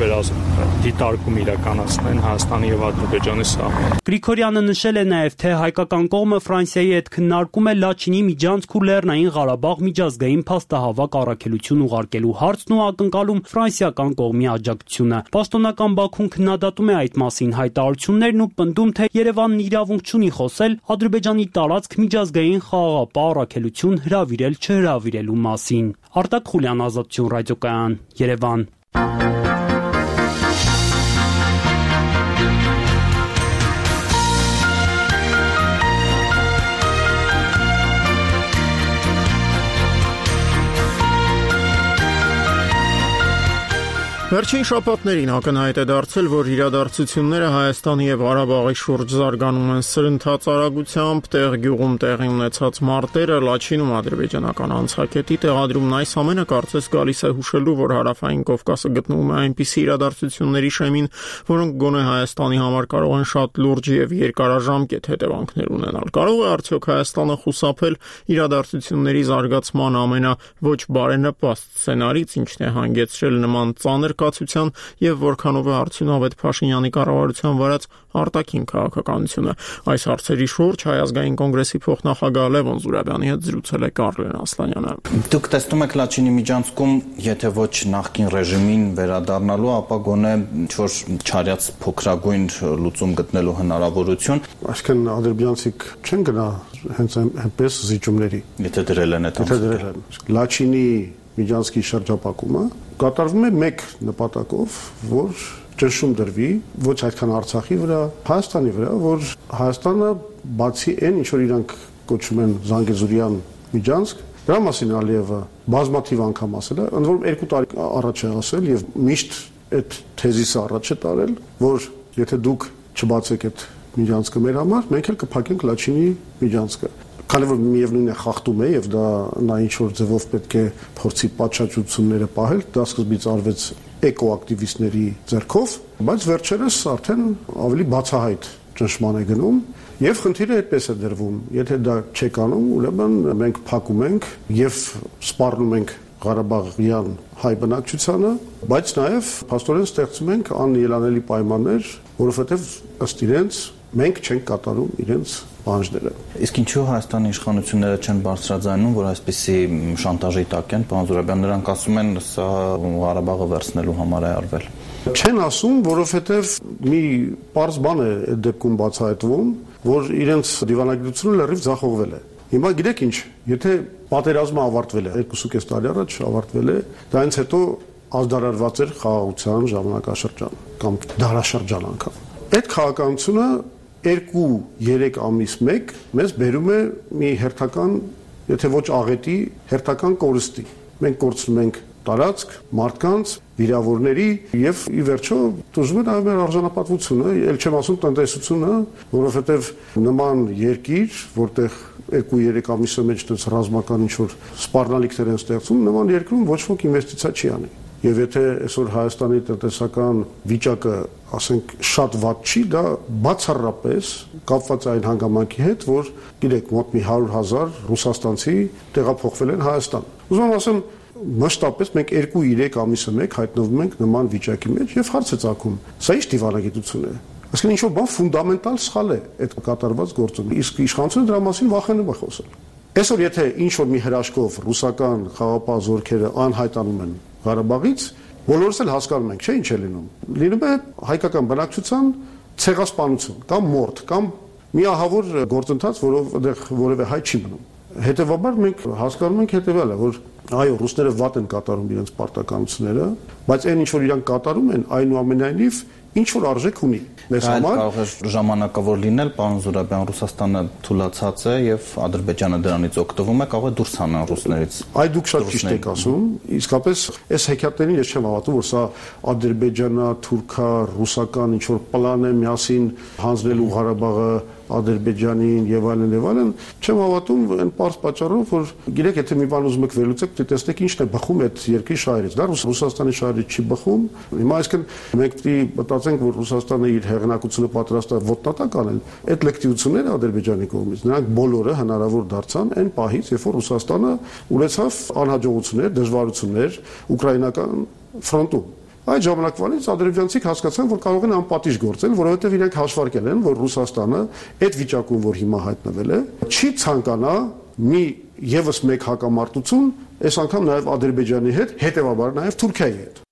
դիտարկում իրականացնեն Հայաստանի եւ Ադրբեջանի սահմանը։ Գրիգորյանը նշել է նաեւ, թե հայկական կողմը Ֆրանսիայի հետ քննարկում է Լաչինի միջանցք ու Լեռնային Ղարաբաղ միջազգային փաստահավաք առաքելություն ուղարկելու հարցն ու ակնկալում ֆրանսիական կողմի աջակցությունը։ Պաշտոնական Բաքուն քննադատում է այդ մասին հայտարարություններն ու պնդում, թե Երևանն իրավունք չունի խոսել Ադրբեջանի տարածք միջազգային խաղաղապահ առաքելություն հրավիրել չհրավիրելու մասին։ Արտակ Խուլյան, Ազատություն ռադիոկայան, Երևան։ Վերջին շաբաթներին ակնհայտ է դարձել, որ իրադարձությունները Հայաստանի եւ Ղարաբաղի շուրջ զարգանում են սրընթաց արագությամբ, տեղ գյուղում տեղի ունեցած մարտերը, Լաչինում ադրբեջանական անցակետի տեղադրումն այս ամենը կարծես գալիս է հուշելու, որ Հարավային Կովկասը գտնվում է այնպիսի իրադարձությունների շեմին, որոնք գոնե Հայաստանի համար կարող են շատ լուրջ եւ երկարաժամկետ հետևանքներ ունենալ։ Կարող է արդյոք Հայաստանը խուսափել իրադարձությունների զարգացման ամենաոչ բարենպաստ սցենարից, ինչն է հանգեցրել նման ծանր կացության եւ որքանով է արդյունավետ Փաշինյանի կառավարության վարած արտաքին քաղաքականությունը։ Այս հարցերի շուրջ Հայ ազգային կոնգրեսի փոխնախագահ Լևոն Զուրաբյանի հետ զրուցել է Կարլեն Ասլանյանը։ Դուք տեսնում եք Լաչինի միջանցքում, եթե ոչ նախկին ռեժիմին վերադառնալու, ապա գոնե ինչ-որ չարյաց փոքրագույն լուծում գտնելու հնարավորություն։ Այսինքն ադրբեջանցիք չեն գնա հենց այնպես զիջումների։ Եթե դրել են այդ անձը։ Լաչինի միջանցքի շրջապակումը կատարվում է մեկ նպատակով, որ ճնշում դրվի ոչ այդքան Արցախի վրա, Հայաստանի վրա, որ Հայաստանը բացի այն, ինչ որ իրանք կոչում են Զանգեզուրյան միջանցք, դրա մասին Ալիևը բազմաթիվ անգամ ասել է, ընդ որում 2 տարի առաջ է ասել եւ միշտ այդ թեզիսը առաջ է տարել, որ եթե դուք չբացեք այդ միջանցքը մեր համար, մենք էլ կփակենք Լաչինի միջանցքը։ Քանի որ միևնույնն է խախտում է եւ դա նա ինչ որ ձևով պետք է փորձի պատշաճությունները պահել, դա սկզբից արվեց էկոակտիվիստների ձեռքով, բայց վերջերս արդեն ավելի բացահայտ ճնշման է գնում եւ խնդիրը այդպես է դրվում։ Եթե դա չեք անում, ուրեմն մենք փակում ենք եւ սպառնում ենք Ղարաբաղյան հայ բնակչությանը, բայց նաեւ փաստորեն ստեղծում ենք անելանելի պայմաններ, որովհետեւ ըստ իրենց մենք չենք կատարում իրենց պահանջները։ Իսկ ինչու Հայաստանի իշխանությունները չեն բարձրաձայնում, որ այսպիսի շանտաժի տակ են, պարոն Զուրաբյան, նրանք ասում են, սա Ղարաբաղը վերցնելու համար է արվել։ Չեն ասում, որովհետև մի պարզ բան է այդ դեպքում բացահայտվում, որ իրենց դիվանագիտությունը լրիվ ձախողվել է։ Հիմա գիտեք ինչ, եթե պատերազմը ավարտվել է 2.5 տարի առաջ ավարտվել է, դրանից հետո ազդարարված էր խաղաղության ժամանակաշրջան կամ դարաշրջան անգամ։ Այդ քաղաքականությունը 2-3 ամիս մեկ մեզ բերում է մի հերթական, եթե ոչ աղետի, հերթական կորստի։ Մենք կորցնում ենք տարածք, մարդկանց, վիրավորների եւ ի վերջո դժվար է նաև մեր արժանապատվությունը, ել չեմ ասում տնտեսությունը, որովհետեւ նման երկիր, որտեղ 2-3 ամիսը մեջ դες ռազմական ինչ-որ սպառնալիքներ են ստեղծում, նման երկրում ոչ ոք ինվեստիցիա չի անի։ Եվ եթե այսօր Հայաստանի տնտեսական վիճակը, ասենք, շատ վատ չի, դա բացառապես կապված է այն հանգամանքի հետ, որ գիտեք, մոտ մի 100,000 ռուսաստանցի տեղափոխվել են Հայաստան։ Ուզում եմ ասեմ, մշտապես մենք 2-3 ամիսը մեկ հայտնվում ենք նման վիճակի մեջ եւ հարց է ծագում։ Սա ի՞նչ դիվանագիտություն է։ Այսինքն ինչ-որ բան ֆունդամենտալ սխալ է այդ կատարված գործում։ Իսկ իշխանությունը դրա մասին վախենում է խոսել։ Այսօր եթե ինչ-որ մի հրաշքով ռուսական խաղապահ զորքերը անհայտանում են Ղարաբաղից, բոլորս էլ հասկանում ենք, չէ՞ ինչ է լինում։ Լինում է հայկական բնակչության ցեղասպանություն կամ մորթ կամ միահավոր գործընթաց, որով այդեղ որևէ հայ չի մնում։ Հետևաբար մենք հասկանում ենք հետևյալը, որ այո, ռուսները վատ են կատարում իրենց պարտականությունները, բայց այն ինչ որ իրանք կատարում են, այնուամենայնիվ ինչ որ արժեք ունի մեզ համար։ Կարող է ժամանակավոր լինել, պարոն Զուրաբյան, Ռուսաստանը թուլացած է եւ Ադրբեջանը դրանից օգտվում է, կարող է դուրս հանան ռուսներից։ Այ դուք շատ ճիշտ եք ասում, իսկապես այս հեքիաթներին ես չեմ հավատում, որ սա ադրբեջանա, թուրքա, ռուսական ինչ որ պլան է միասին հանձնելու Ղարաբաղը Ադրբեջանին եւ այլն, չեմ հավատում այն պարզ պատճառով, որ գիտեք, եթե մի բան ուզում եք վերլուծեք, տեսնեք ինչն է բխում այդ երկրի շահերից։ Դա Ռուսաստանի շահերից չի բխում։ Հիմա այսինքն մենք պետք է մտածենք, որ Ռուսաստանը իր հեղինակությունը պատրաստ է ոտնատակ անել։ Այդ լեկտիվությունները Ադրբեջանի կողմից, նրանք բոլորը հնարավոր դարձան այն պահից, երբ որ Ռուսաստանը ունեցավ անհաջողություններ, դժվարություններ ուկրաինական ֆրոնտում։ Այդ ժամանակվանից ադրբեջանցիք հասկացան, որ կարող են անպատիժ գործել, որովհետև իրենք հաշվարկել են, որ Ռուսաստանը այդ վիճակում, որ հիմա հայտնվել է, չի ցանկանա մի եւս մեկ հակամարտություն, այս անգամ նաեւ Ադրբեջանի հետ, հետեւաբար նաեւ Թուրքիայի հետ։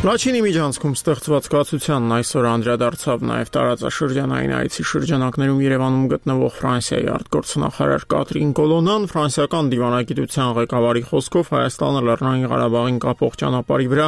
Լաչինի միջանցքում ստեղծված կացությանն այսօր անդրադարձավ նաև տարածաշրջանային այցի շրջանակներում Երևանում գտնվող Ֆրանսիայի արտգործնախարար Կատրին Կոլոնան ֆրանսիական դիվանագիտության ղեկավարի խոսքով Հայաստանը Լեռնային Ղարաբաղին կապող ճանապարհի վրա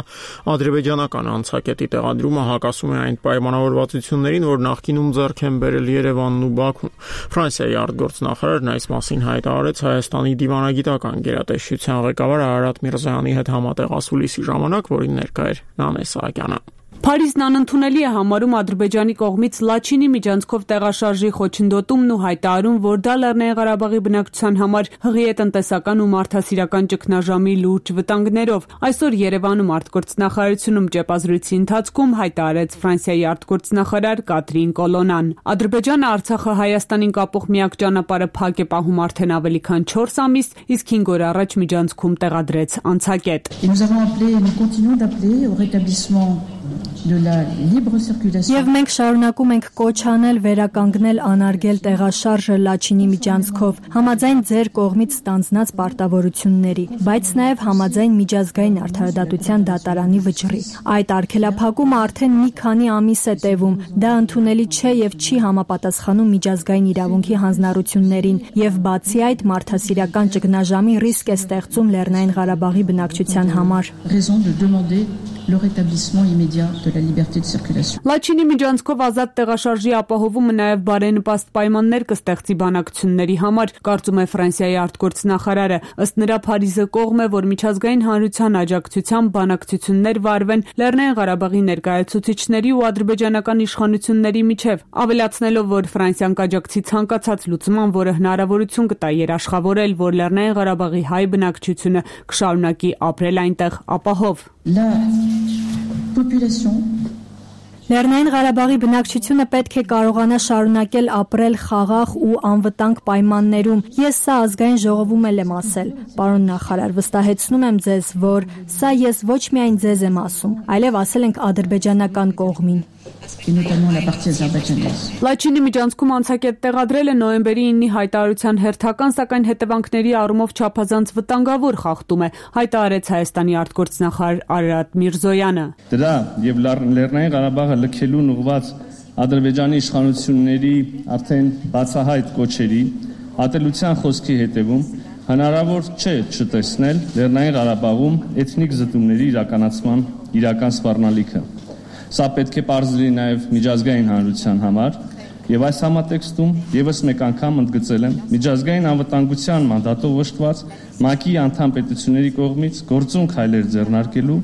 ադրբեջանական անցակետի տեղադրումը հակասում է այն պայմանավորվածություններին, որ նախկինում ձեռք են բերել Երևանն ու Բաքուն։ Ֆրանսիայի արտգործնախարարն այս մասին հայտարարեց Հայաստանի դիվանագիտական գերատեսչության ղեկավար Արարատ Միրզոյանի հետ համատեղ ասուլիսի ժամանակ, որին ներկա էր Սահակյանը։ Փարիզն անընդունելի է համարում Ադրբեջանի կողմից Լաչինի միջանցքով տեղաշարժի խոչընդոտումն ու հայտարարում, որ դա Լեռնային Ղարաբաղի բնակչության համար հղի է տնտեսական ու մարդասիրական ճգնաժամի լուրջ վտանգներով։ Այսօր Երևանում արտգործնախարարությունում ճեպազրույցի ընթացքում հայտարարեց Ֆրանսիայի արտգործնախարար Կատրին Կոլոնան։ Ադրբեջանը Արցախը Հայաստանին կապող միակ ճանապարհը փակ է պահում արդեն ավելի քան 4 ամիս, իսկ 5 օր առաջ միջանցքում տեղադրեց անցակետ։ Եվ մենք շարունակում ենք կոչ անել վերականգնել անարգել տեղաշարժը Լաչինի միջանցքով, համաձայն ձեր կողմից ստանձնած պարտավորությունների, բայց նաև համաձայն միջազգային արդարադատության դատարանի վճռի։ Այդ արգելափակումը արդեն մի քանի ամիս է տևում, դա ընդունելի չէ եւ չի համապատասխանում միջազգային իրավունքի հանձնառություններին եւ բացի այդ մարդասիրական ճգնաժամի ռիսկ է ստեղծում Լեռնային Ղարաբաղի բնակչության համար։ Le rétablissement immédiat de la liberté de circulation. Լաչինի միջանցքով ազատ տեղաշարժի ապահովումը նաև բարենպաստ պայմաններ կստեղծի բանակցությունների համար, կարծում է Ֆրանսիայի արտգործնախարարը։ Ըստ նրա Փարիզը կողմ է, որ միջազգային հանրության աջակցությամբ բանակցություններ վարվեն Լեռնային Ղարաբաղի ներկայացուցիչների ու ադրբեջանական իշխանությունների միջև, ավելացնելով, որ Ֆրանսիան կաջակցի ցանկացած լուծման, որը հնարավորություն կտա երաշխավորել, որ Լեռնային Ղարաբաղի հայ բնակչությունը կշարունակի ապրել այնտեղ ապահով։ Լեռնային Ղարաբաղի բնակչությունը պետք է կարողանա շարունակել ապրել խաղաղ ու անվտանգ պայմաններում։ Ես սա ազգային ժողովում եմ ասել, պարոն նախարար, վստահեցնում եմ ձեզ, որ սա ես ոչ միայն ձեզ եմ ասում, այլև ասել ենք ադրբեջանական կողմին։ Լաչինի միջանցքում անցակետ տեղադրելը նոյեմբերի 9-ի հայտարարության հերթական, սակայն հետևանքների առումով չափազանց վտանգավոր խախտում է, հայտարարեց Հայաստանի արտգործնախարար Արարատ Միրզոյանը։ Դրա եւ Լեռնային Ղարաբաղը լքելուն ուղղված Ադրբեջանի իշխանությունների արդեն բացահայտ կոչերի ատելության խոսքի հետևում հնարավոր չէ չտեսնել Լեռնային Ղարաբաղում էթնիկ զտումների իրականացման իրական սպառնալիքը։ Սա պետք է պարզ լինի նաև միջազգային հանրության համար, եւ այս համատեքստում եւս մեկ անգամ ընդգծել եմ միջազգային անվտանգության մանդատով օժտված ՄԱԿ-ի անդամ պետությունների կողմից գործուն քայլեր ձեռնարկելու,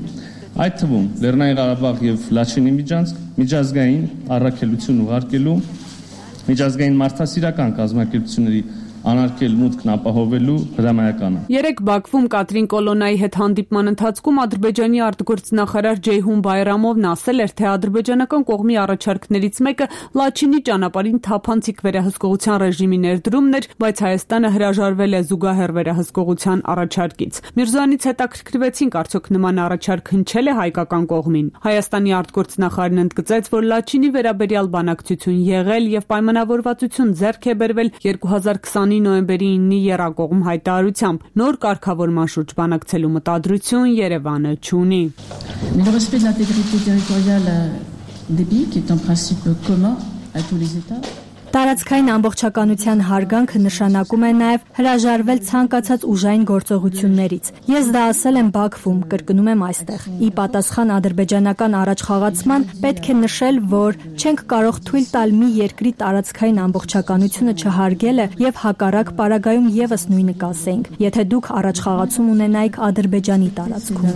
այդ թվում Լեռնային Ղարաբաղ եւ Լաչինի միջանցք միջազգային առաքելություն ուղարկելու, միջազգային մարդասիրական կազմակերպությունների անարգել մուտքն ապահովելու հրամայականը։ Երեկ Բաքվում Կատրին Կոլոնայի հետ հանդիպման ընթացքում Ադրբեջանի արտգործնախարար Ջեյհուն Բայրամովն ասել էր, թե ադրբեջանական կողմի առաջարկներից մեկը Լաչինի ճանապարհին թափանցիկ վերահսկողության ռեժիմի ներդրումն էր, բայց Հայաստանը հրաժարվել է զուգահեռ վերահսկողության առաջարկից։ Միրզոյանից հետաքրքրվեցինք, արդյոք նման առաջարկ հնչել է հայկական կողմին։ Հայաստանի արտգործնախարարն ընդգծեց, որ Լաչինի վերաբերյալ բանակցություն եղել եւ պայմանավորվածություն ձեռք է բերվել 2020 նոյեմբերի 9-ի եռակողմ հայտարարությամբ նոր կարգավորման շուրջ բանակցելու մտադրություն Երևանը չունի։ Le respect de l'intégrité territoriale des pays qui est un principe commun à tous les États. Տարածքային ամբողջականության հարգանքը նշանակում է նաև հրաժարվել ցանկացած ուժային գործողություններից։ Ես դա ասել եմ Բաքվում, կրկնում եմ այստեղ։ Ի պատասխան ադրբեջանական առաջխաղացման պետք է նշել, որ չենք կարող թույլ տալ մի երկրի տարածքային ամբողջականությունը չհարգելը եւ հակառակ պարագայում եւս նույնը կասեինք, եթե դուք առաջխաղացում ունենայիք Ադրբեջանի տարածքում։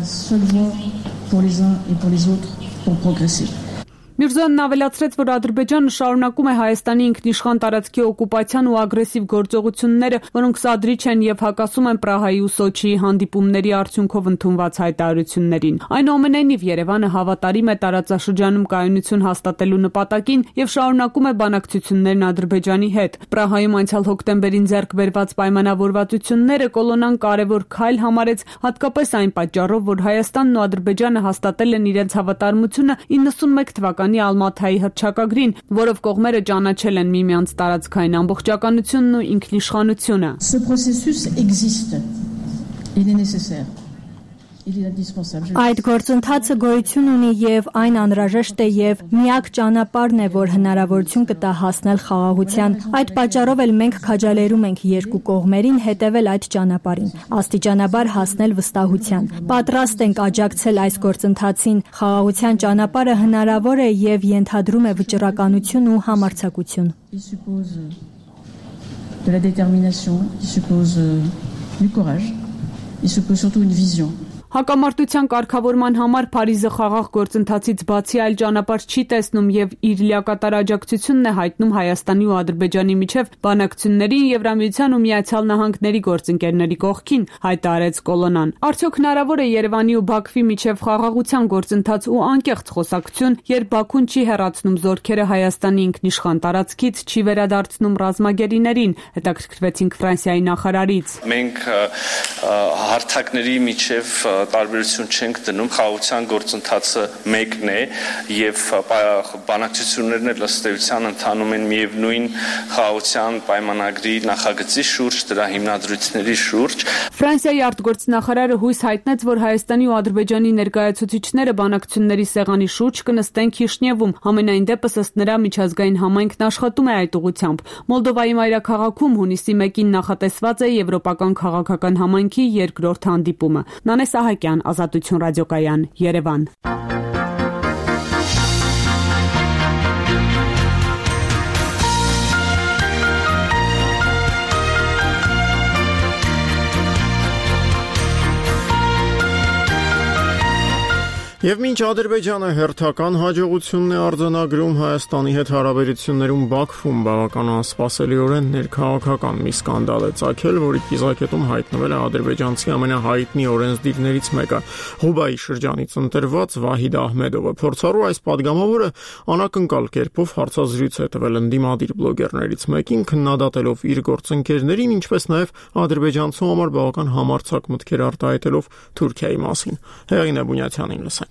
Միրզոյանն ավելացրեց, որ Ադրբեջանը շարունակում է Հայաստանի ինքնիշխան տարածքի օկուպացիան ու ագրեսիվ գործողությունները, որոնք սադրիչ են եւ հակասում են Պրահայի ու Սոչիի հանդիպումների արդյունքով ընդունված հայտարարություններին։ Այնուամենայնիվ Երևանը հավատարիմ է տարածաշրջանում կայունություն հաստատելու նպատակին եւ շարունակում է բանակցություններն Ադրբեջանի հետ։ Պրահայում անցյալ հոկտեմբերին ձեռք բերված պայմանավորվածությունները Կոլոնան կարևոր քայլ համարեց, հատկապես այն պատճառով, որ Հայաստանն ու Ադրբեջանը հաստատել են իրենց հավատարմությունը 91 թվականի Ալմաթայի հռչակագրին, որով կողմերը ճանաչել են միմյանց տարածքային ամբողջականությունն ու ինքնիշխանությունը։ Այդ գործընթացը գոյություն ունի եւ այն անհրաժեշտ է եւ միակ ճանապարհն է, որ հնարավորություն կտա հասնել խաղաղության։ Այդ պատճառով էլ մենք քաջալերում ենք երկու կողմերին հետևել այդ ճանապարհին, աստիճանաբար հասնել վստահության։ Պատրաստ ենք աջակցել այս գործընթացին։ Խաղաղության ճանապարհը հնարավոր է եւ ենթադրում է վճռականություն ու համարձակություն։ De la détermination, il suppose du courage, il suppose surtout une vision. Հակամարտության կարգավորման համար Փարիզը խաղաղ գործընթացից բացի այլ ճանապարհ չի տեսնում եւ իր լիակատար աջակցությունն է հայտնում Հայաստանի ու Ադրբեջանի միջև բանակցություններին Եվրամիության ու Միացյալ Նահանգների գործընկերների կողքին, հայտարարեց Կոլոնան։ Արդյոք հնարավոր է Երևանի ու Բաքվի միջև խաղաղության գործընթաց ու անկեղծ խոսակցություն, երբ Բաքուն չի հեռացնում զորքերը Հայաստանի ինքնիշխան տարածքից, չի վերադարձնում ռազմագերիներին, հետաքրքրվեցինք Ֆրանսիայի նախարարից։ Մենք հարթակների միջև տարբերություն չենք դնում, խաղաղության գործընթացը մեկն է եւ բանակցություններն էլ ըստ էության ընթանում են միևնույն խաղաղության պայմանագրի նախագծի շուրջ, դրա հիմնադրույթների շուրջ։ Ֆրանսիայի արտգործնախարարը հույս հայտնեց, որ Հայաստանի ու Ադրբեջանի ներկայացուցիչները բանակցությունների սեղանի շուրջ կնստեն Քիշնևում։ Համենայն դեպս ըստ նրա միջազգային համայնքն աշխատում է այդ ուղղությամբ։ Մոլդովայի մայրաքաղաքում հունիսի 1-ին նախատեսված է Եվրոպական քաղաքական համայնքի երկրորդ հանդիպումը։ Նանե Սահակյան, Ազատություն ռադիոկայան, Երևան։ Եվ մինչ Ադրբեջանը հերթական հաջողությունն է արձանագրում Հայաստանի հետ հարաբերություններում Բաքվում բավական անսպասելիորեն ներքաղաքական մի սկանդալ է ծագել, որի կիզակետում հայտնվել է ադրբեջանցի ամենահայտնի օրենսդիրներից մեկը՝ Ղուբայի շրջանից ընտրված Վահիդ Ահմեդովը։ Փորձառու այս падգամավորը անակնկալ կերպով հարցազրույց է տվել ընդդիմադիր բլոգերներից մեկին, քննադատելով իր գործընկերներին, ինչպես նաև ադրբեջանցու համար բավական համարձակ մտքեր արտահայտելով Թուրքիայի մասին։ Հեղինե Բունյացյանին լսենք։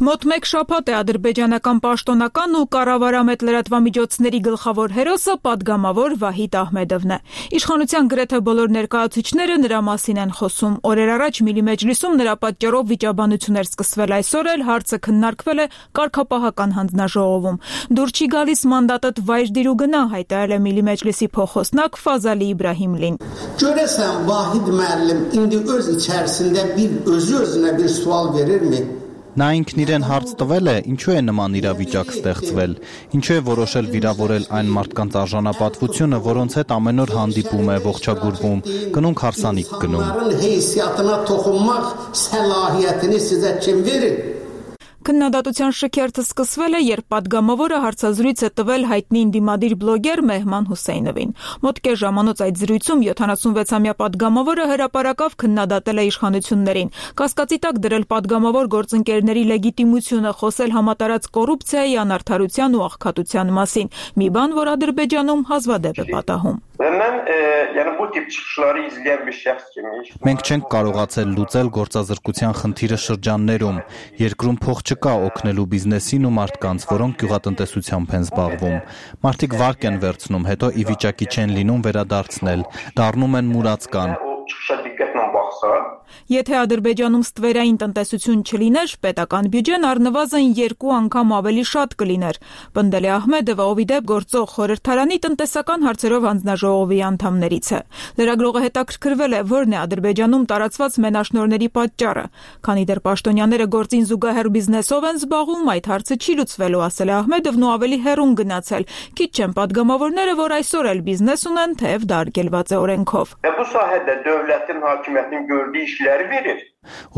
Մոտ մեկ շաբաթ է ադրբեջանական պաշտոնական ու կառավարամետ լրատվամիջոցների գլխավոր հերոսը падգամավոր Վահիդ Ահմեդովն է։ Իշխանության գրեթե բոլոր ներկայացուցիչները նրա մասին են խոսում։ Օրեր առաջ Միլի մեջլիսում նրա պատճառով վիճաբանություն էր սկսվել, այսօր էլ հարցը քննարկվել է կարգապահական հանձնաժողովում։ Դուր չի գալիս մանդատդ վայր դիր ու գնա, հայտարարել է Միլի մեջլիսի փոխոսնակ Ֆազալի Իբրահիմլին։ Görəsən Vahid müəllim indi öz içərisində özü özünə bir sual verirmi? Նա ինքն իրեն հարց տվել է, ինչու է նման իրավիճակ ստեղծվել, ինչու է որոշել վիրավորել այն մարդկանց արժանապատվությունը, որոնց հետ ամեն օր հանդիպում է, ողջագուրվում, կնունք հարսանիք գնում։ Քննադատության շքերթը սկսվել է, երբ падգամավորը հարցազրույց է տվել հայտնի ընդդիմադիր բլոգեր Մեհման Հուսեյնովին։ Մոտ կես ժամանոց այդ զրույցում 76-ամյա падգամավորը հրապարակավ քննադատել է իշխանություններին, կասկածի տակ դրել падգամավոր գործընկերների լեգիտիմությունը, խոսել համատարած կոռուպցիայի, անարդարության ու աղքատության մասին, մի բան, որ Ադրբեջանում հազվադեպ է պատահում։ Մենք չենք կարողացել լուծել գործազրկության խնդիրը շրջաններում, երկրում փող չկա օգնելու բիզնեսին ու մարդկանց, որոնք գյուղատնտեսությամբ են զբաղվում։ Մարդիկ վարկ են վերցնում, հետո ի վիճակի չեն լինում վերադարձնել, դառնում են մուրացկան։ Եթե Ադրբեջանում ստվերային տնտեսություն չլիներ, պետական բյուջեն առնվազն 2 անգամ ավելի շատ կլիներ, պնդել է Ահմեդովը, ով ի դեպ գործող խորհրդարանի տնտեսական հարցերով հանձնաժողովի անդամներից է։ Լրագրողը հետաքրքրվել է, որն է Ադրբեջանում տարածված մենաշնորհների պատճառը, քանի դեռ պաշտոնյաները գործին զուգահեռ բիզնեսով են զբաղվում, այդ հարցը չի լուծվելու, ասել է Ահմեդովն ու ավելի հեռուն գնացել։ Քիչ չեն падգամավորները, որ այսօր էլ բիզնես ունեն, թեև դա արգելված է օրենքով։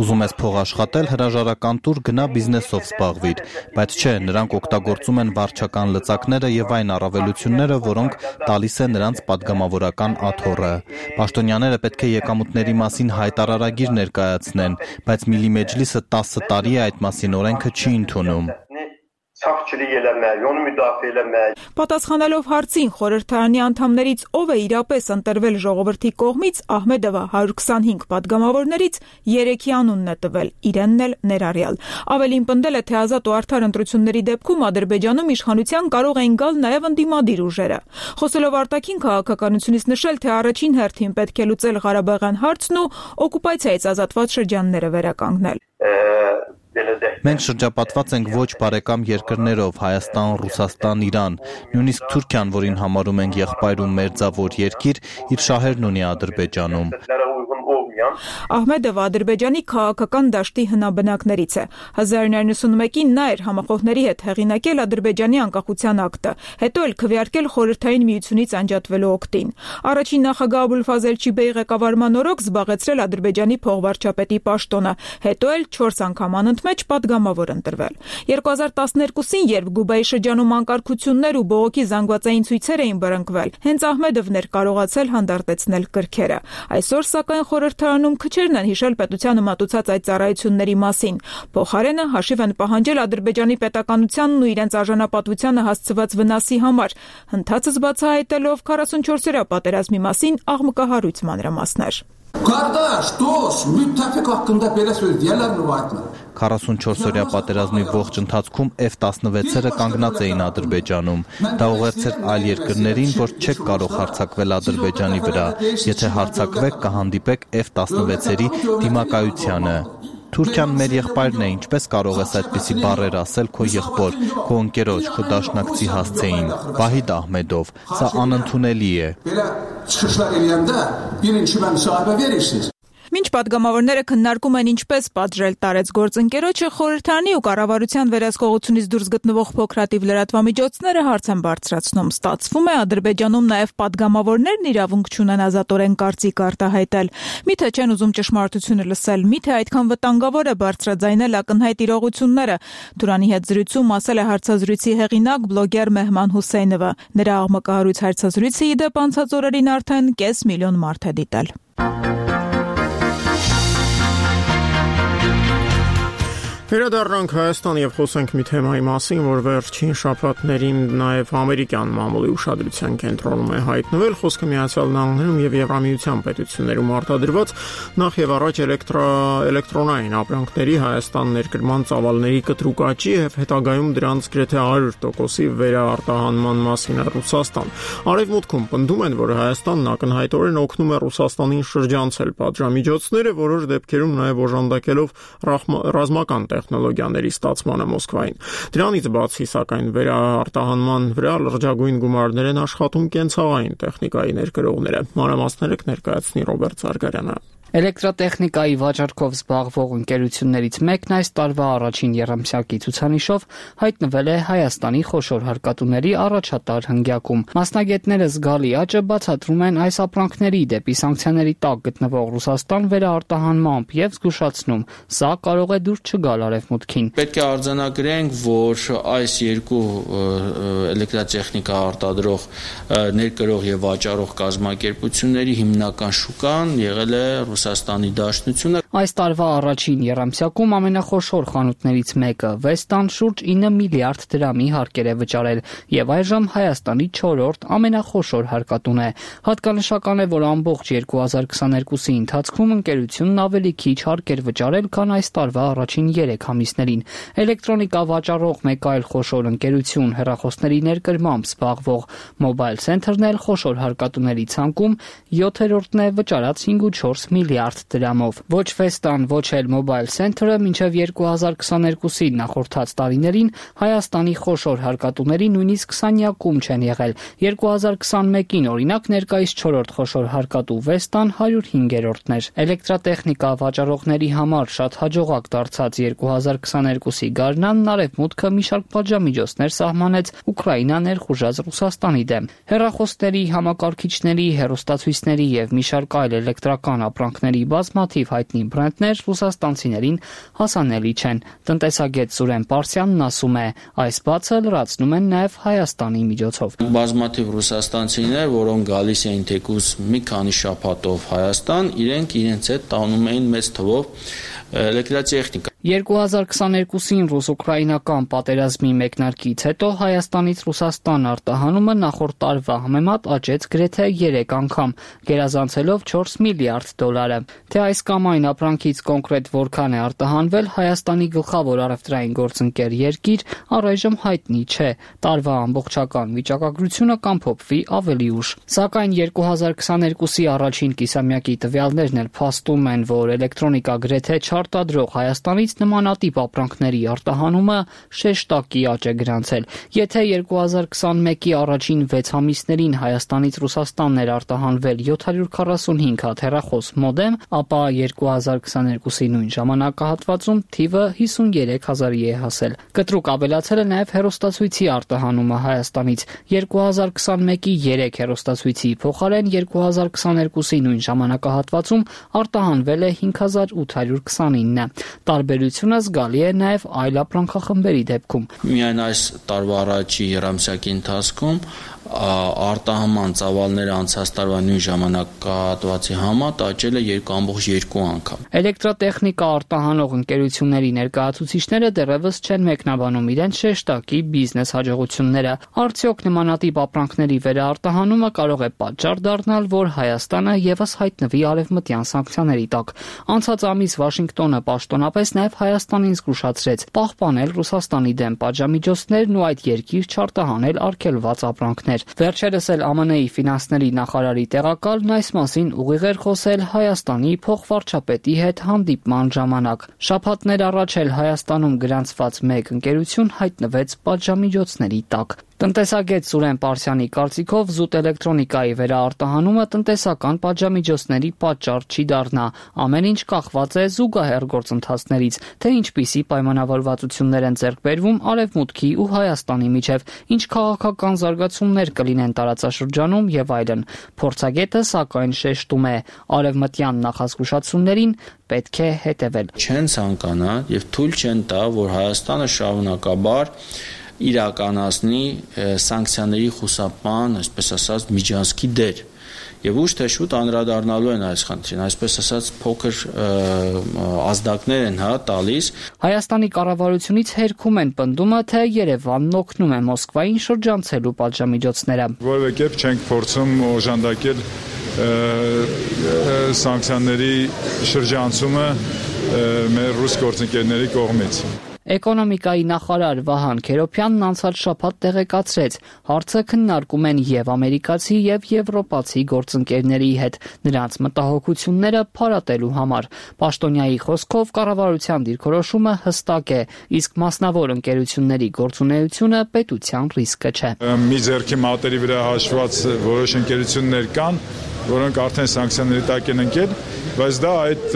Ուզում ես փող աշխատել, հրաժարական տուր գնա բիզնեսով զբաղվիր, բայց չէ, նրանք օգտագործում են վարչական լծակները եւ այն առավելությունները, որոնք տալիս է նրանց падգամավորական աթոռը։ Պաշտոնյաները պետք է եկամուտների մասին հայտարարագիր ներկայացնեն, բայց Միլի Մեջլիսը 10 տարի է այդ մասին օրենքը չի ընդունում։ Պատասխանելով հարցին խորհրդարանի անդամներից ով է իրապես ընտրվել ժողովրդի կողմից, Ահմեդովը 125 падգամավորներից 3-ի անունն է տվել, իրենն էլ ներառյալ։ Ավելին պնդել է, թե ազատ ու արդար ընտրությունների դեպքում Ադրբեջանում իշխանության կարող էին գալ նաև ընդդիմադիր ուժերը։ Խոսելով արտաքին քաղաքականությունից նշել, թե առաջին հերթին պետք է լուծել Ղարաբաղյան հարցն ու օկուպացիայից ազատված շրջանները վերականգնել։ Մենք շրջապատված ենք ոչ բարեկամ երկրներով՝ Հայաստան, Ռուսաստան, Իրան, նույնիսկ Թուրքիան, որին համարում ենք եղբայր ու մերձավոր երկիր, իր շահերն ունի Ադրբեջանում։ Ահմեդովը Ադրբեջանի քաղաքական դաշտի հնաբնակներից է։ 1991-ին նա էր համախոհների հետ հեղինակել Ադրբեջանի անկախության ակտը, հետո էլ քվեարկել Խորհրդային Միությունից անջատվելու օգտին։ Առաջին նախագահ Աբուլֆազել Չիբեի ղեկավարման օրոք զբաղեցրել Ադրբեջանի փողվարչապետի պաշտոնը, հետո էլ 4 անգամ անընդմեջ падգամավոր ընտրվել։ 2012-ին, երբ Գուբայի շրջանում անկարգություններ ու բողոքի զանգվածային ցույցեր էին բռնկվել, հենց Ահմեդովն էր կարողացել հանդարտեցնել կրքերը։ Այսօր, սակայն, խորհրդարանում քչերն են հիշել պետությանը մատուցած այդ ծառայությունների մասին։ Փոխարենը հաշիվ են պահանջել Ադրբեջանի պետականությանն ու իրենց արժանապատվությանը հասցված վնասի համար, հնդածս բացահայտելով 44-օրյա պատերազմի մասին աղմկահարույց մանրամասներ։ 44-օրյա պատերազմի ողջ ընթացքում F-16-երը կանգնած էին Ադրբեջանում։ Դա ուղերձ էր այլ երկրներին, որ չեք կարող հարձակվել Ադրբեջանի վրա, եթե հարձակվեք կհանդիպեք F-16-երի դիմակայությանը։ Թուրքիան մեր եղբայրն է, ինչպես կարող ես այդպիսի բառեր ասել քո եղբոր, քո ընկերոջ, քո դաշնակցի հասցեին։ Վահիդ Ահմեդով, սա անընդունելի է։ Մինչ падգամավորները քննարկում են ինչպես պատժել տարեց գործընկերոջը, խորհրդարանի ու կառավարության վերահսկողությունից դուրս գտնվող փոքրաթիվ լրատվամիջոցները հարց են բարձրացնում։ Ստացվում է Ադրբեջանում նաև падգամավորներն իրավունք չունեն ազատորեն կարծիք արտահայտել։ Միթե չեն ուզում ճշմարտությունը լսել, միթե այդքան վտանգավոր է բարձրաձայնել ակնհայտ իրողությունները։ Թուրանի հետ զրույցում ասել է հարցազրույցի հեղինակ բլոգեր Մեհման Հուսեյնովը։ Նրա աղմկահարույց հարցազրույցը ի դեպ անցած օրերին արդեն 500,000 մարդ է դիտել։ Վերադառնանք Հայաստան եւ խոսենք մի թեմայի մասին, որ վերջին շաբաթներին նաեւ ամերիկյան մամուլի ուշադրության կենտրոնում է հայտնվել։ Խոսքը Միացյալ Նահանգներում եւ Եվրամիության պետություններում արտադրված նախ եւ առաջ էլեկտրոնային ապրանքների Հայաստան ներկրման ծավալների կտրուկ աճի եւ հետագայում դրանց գրեթե 100%-ի վերաարտահանման մասին է Ռուսաստան։ Արևմուտքում պնդում են, որ Հայաստանն ակնհայտորեն օգնում է Ռուսաստանին շրջանցել պատժամիջոցները, որոշ դեպքերում նաեւ օժանդակելով ռազմական տեխնոլոգիաների ստացմանը Մոսկվային։ Դրանից բացի, սակայն, վերաարտահանման վրա լրջագույն գումարներ են աշխատում կենցաղային տեխնիկայի ներկրողները։ Մանրամասները կներկայացնի Ռոբերտ Զարգարյանը։ Էլեկտրատեխնիկայի վաճառքով զբաղվող ընկերություններից մեկն այս տարվա առաջին եռամսյակի ցուցանիշով հայտնվել է Հայաստանի խոշոր հարկատուների առաջատար հնգյակում։ Մասնագետները զգալի աճը բացատրում են այս ապրանքների դեպի սանկցիաների տակ գտնվող Ռուսաստան վերաարտահանմամբ եւ զգուշացնում, սա կարող է դուր չգալ Արևմուտքին։ Պետք է արձանագրենք, որ այս երկու էլեկտրատեխնիկա արտադրող, ներկրող եւ վաճառող կազմակերպությունների հիմնական շուկան եղել է Ռուսաստանի Դաշնությունը։ Այս տարվա առաջին եռամսյակում ամենախոշոր խանութներից մեկը Վեստան շուրջ 9 միլիարդ դրամի հարկեր է վճարել եւ այժմ Հայաստանի 4-րդ ամենախոշոր հարկատուն է։ Հատկանշական է, որ ամբողջ 2022-ի ընթացքում ընկերությունն ավելի քիչ հարկեր վճարել, քան այս տարվա առաջին 3 ամիսներին։ Էլեկտրոնիկա վաճառող մեկ այլ խոշոր ընկերություն, հեռախոսների ներկրմամբ զբաղվող Mobile Center-ն էլ խոշոր հարկատուների ցանկում 7-րդն է վճարած 5.4 միլիարդ դրամով։ Ոչ Vestan ոչ էլ Mobile Center-ը մինչև 2022-ի նախորդած տարիներին Հայաստանի խոշոր հարկատուների նույնիսկ 20-յակում չեն եղել։ 2021-ին օրինակ ներկայիս 4-րդ խոշոր հարկատու Vestan 105-րդն էր։ Էլեկտրատեխնիկա վաճառողների համար շատ հաջողակ դարձած 2022-ի գարնանն արևմուտքը մի շարք պատժամիջոցներ սահմանեց Ուկրաինա ներխուժած Ռուսաստանի դեմ։ Հեռախոսների, համակարգիչների, հեռուստացույցների եւ մի շարք այլ էլեկտրական ապրանքների բազմաթիվ հայտնի բրենդներ ռուսաստանցիներին հասանելի չեն։ Տնտեսագետ Սուրեն Պարսյանն ասում է, այս բացը լրացնում են նաեւ Հայաստանի միջոցով։ Բազմաթիվ ռուսաստանցիներ, որոնք գալիս էին թեկուզ մի քանի շաբաթով Հայաստան, իրենց հետ տանում էին մեծ թվով էլեկտրատեխնիկա։ 2022-ին ռուս-ուկրաինական պատերազմի մեկնարկից հետո Հայաստանից Ռուսաստան արտահանումը նախորդ տարվա համեմատ աճեց գրեթե 3 անգամ, գերազանցելով $4 միլիարդ։ Թե այս կամ այն ապրանքից կոնկրետ որքան է արտահանվել Հայաստանի գլխավոր առևտրային գործընկեր երկիր, առայժմ հայտնի չէ։ Տարվա ամբողջական վիճակագրությունը կամփոփվի ավելի ուշ։ Սակայն 2022-ի առաջին կիսամյակի տվյալներն էլ փաստում են, որ էլեկտրոնիկա գրեթե չարտադրող Հայաստանից նմանատիպ ապրանքների արտահանումը շեշտակի աճ է գրանցել։ Եթե 2021-ի առաջին 6 ամիսներին Հայաստանից Ռուսաստանն էր արտահանվել 745 հատ հեռախոս մոդեմ, ապա 2022-ի նույն ժամանակահատվածում թիվը 53,000-ի է հասել։ Կտրուկ ավելացել է նաև հեռուստացույցի արտահանումը Հայաստանից։ 2021-ի 3 հեռուստացույցի փոխարեն 2022-ի նույն ժամանակահատվածում արտահանվել է 5829-ը։ Տարբերությունը զգալի է նաև այլ ապրանքախմբերի դեպքում։ Միայն այս տարվա առաջի երամսյակի ընթացքում արտահանման ծավալները անցած տարվա նույն ժամանակահատվածի համեմատ աճել է 2.2 անգամ։ Էլեկտրատեխնիկա արտահանող ընկերությունների ներկայացուցիչները դեռևս չեն մեկնաբանում իրենց շեշտակի բիզնես հաջողությունները։ Արդյոք նմանատիպ ապրանքների վերարտահանումը կարող է պատճառ դառնալ, որ Հայաստանը եւս հայտնվի արևմտյան սանկցիաների տակ։ Անցած ամիս Վաշինգտոնը պաշտոնապես նաև Հայաստանին զգուշացրեց պահպանել Ռուսաստանի դեմ պատժամիջոցներն ու այդ երկիր չարտահանել արգելված ապրանքներ։ Վերջերս էլ ԱՄՆ-ի ֆինանսների նախարարի տեղակալն այս մասին ուղիղ էր խոսել Հայաստանի փոխվարչապետի հետ հանդիպման ժամանակ։ Շաբաթներ առաջ էլ Հայաստանում գրանցված մեկ ընկերություն հայտնվեց պատժամիջոցների տակ։ Տնտեսագետ Սուրեն Պարսյանի կարծիքով զուտ էլեկտրոնիկայի վերարտահանումը տնտեսական պատժամիջոցների պատճառ չի դառնա։ Ամեն ինչ կախված է զուգահեռ գործընթացներից, թե ինչպիսի պայմանավորվածություններ են ձեռք բերվում Արևմուտքի ու Հայաստանի միջև, ինչ քաղաքական զարգացումներ կլինեն տարածաշրջանում եւ այլն։ Փորձագետը սակայն շեշտում է, արևմտյան նախազգուշացումներին պետք է հետևել։ Չեն ցանկանա եւ թույլ չեն տա, որ Հայաստանը շարունակաբար իրականացնի սանկցիաների խուսափման, այսպես ասած, միջանցքի դեր։ Եվ ուշ թե շուտ անդրադառնալու են այս խնդրին, այսպես ասած փոքր ազդակներ են տալիս։ Հայաստանի կառավարությունից հերքում են պնդումը, թե Երևանն օգնում է Մոսկվային շրջանցելու պատժամիջոցները։ Որևէ կերպ չենք փորձում օժանդակել սանկցիաների շրջանցումը մեր ռուս գործընկերների կողմից։ Էկոնոմիկայի նախարար Վահան Քերոփյանն անցած շաբաթ տեղեկացրեց, հարցը քննարկում են եւ ամերիկացի եւ եվրոպացի գործընկերների հետ, նրանց մտահոգությունները փարատելու համար։ Պաշտոնյայի խոսքով կառավարության դիրքորոշումը հստակ է, իսկ մասնավոր ընկերությունների գործունեությունը պետության ռիսկը չէ։ Մի ձեռքի մատերի վրա հաշված որոշ ընկերություններ կան, որոնք արդեն սանկցիաների տակ են ընկել, բայց դա այդ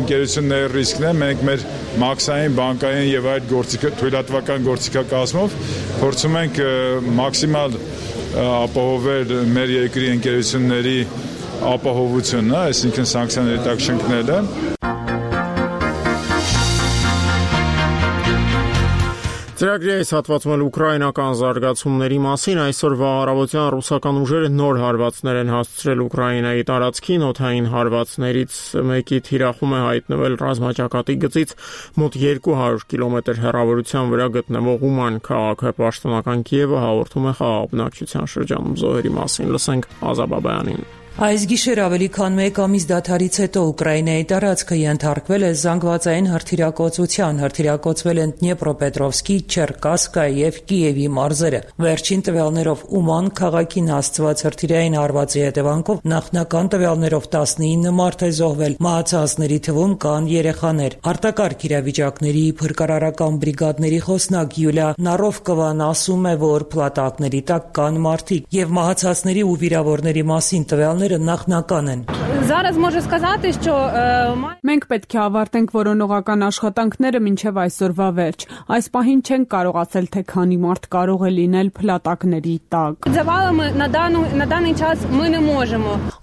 ընկերությունների ռիսկն է։ Մենք մեր մաքսային, բանկային եւ այդ թույլատվական գործիքակազմով փորձում ենք մաքսիմալ ապահովել մեր երկրի ընկերությունների ապահովությունը, այսինքն սանկցիաների տակ չընկնելը։ Ծրագրի այս հատվածում էլ ուկրաինական զարգացումների մասին այսօրվա առավոտյան ռուսական ուժերը նոր հարվածներ են հասցրել Ուկրաինայի տարածքին, օդային հարվածներից մեկի թիրախում է հայտնվել ռազմաճակատի գծից մոտ 200 կիլոմետր հեռավորության վրա գտնվող Ուման քաղաքը։ Պաշտոնական Կիևը հաղորդում է խաղաղ բնակչության շրջանում զոհերի մասին։ Լսենք Ազաբաբյանին։ Այս գիշեր ավելի քան 1 ամիս դադարից հետո Ուկրաինայի տարածքը ենթարկվել է զանգվածային հրթիռակոծության, հրթիռակոծվել են Դնեպրոպետրովսկի, Չերկասկա եւ Կիևի մարզերը։ Վերջին տվյալներով Ուման քաղաքին հասցված հրթիռային հարվածի հետևանքով նախնական տվյալներով 19 մարդ է զոհվել, մահացածների թվում կան երեխաներ։ Արտակարգ իրավիճակների փրկարարական բրիգադների խոսնակ Յուլիա Նարովկովան ասում է, որ փլատակների տակ կան մարդիկ եւ մահացածների ու վիրավորների մասին տվյալները նախնական են։ Մենք պետք է ավարտենք որոնողական աշխատանքները մինչև այսօրվա վերջ։ Այս պահին չենք կարողացել, թե քանի մարդ կարող է լինել փլատակների տակ։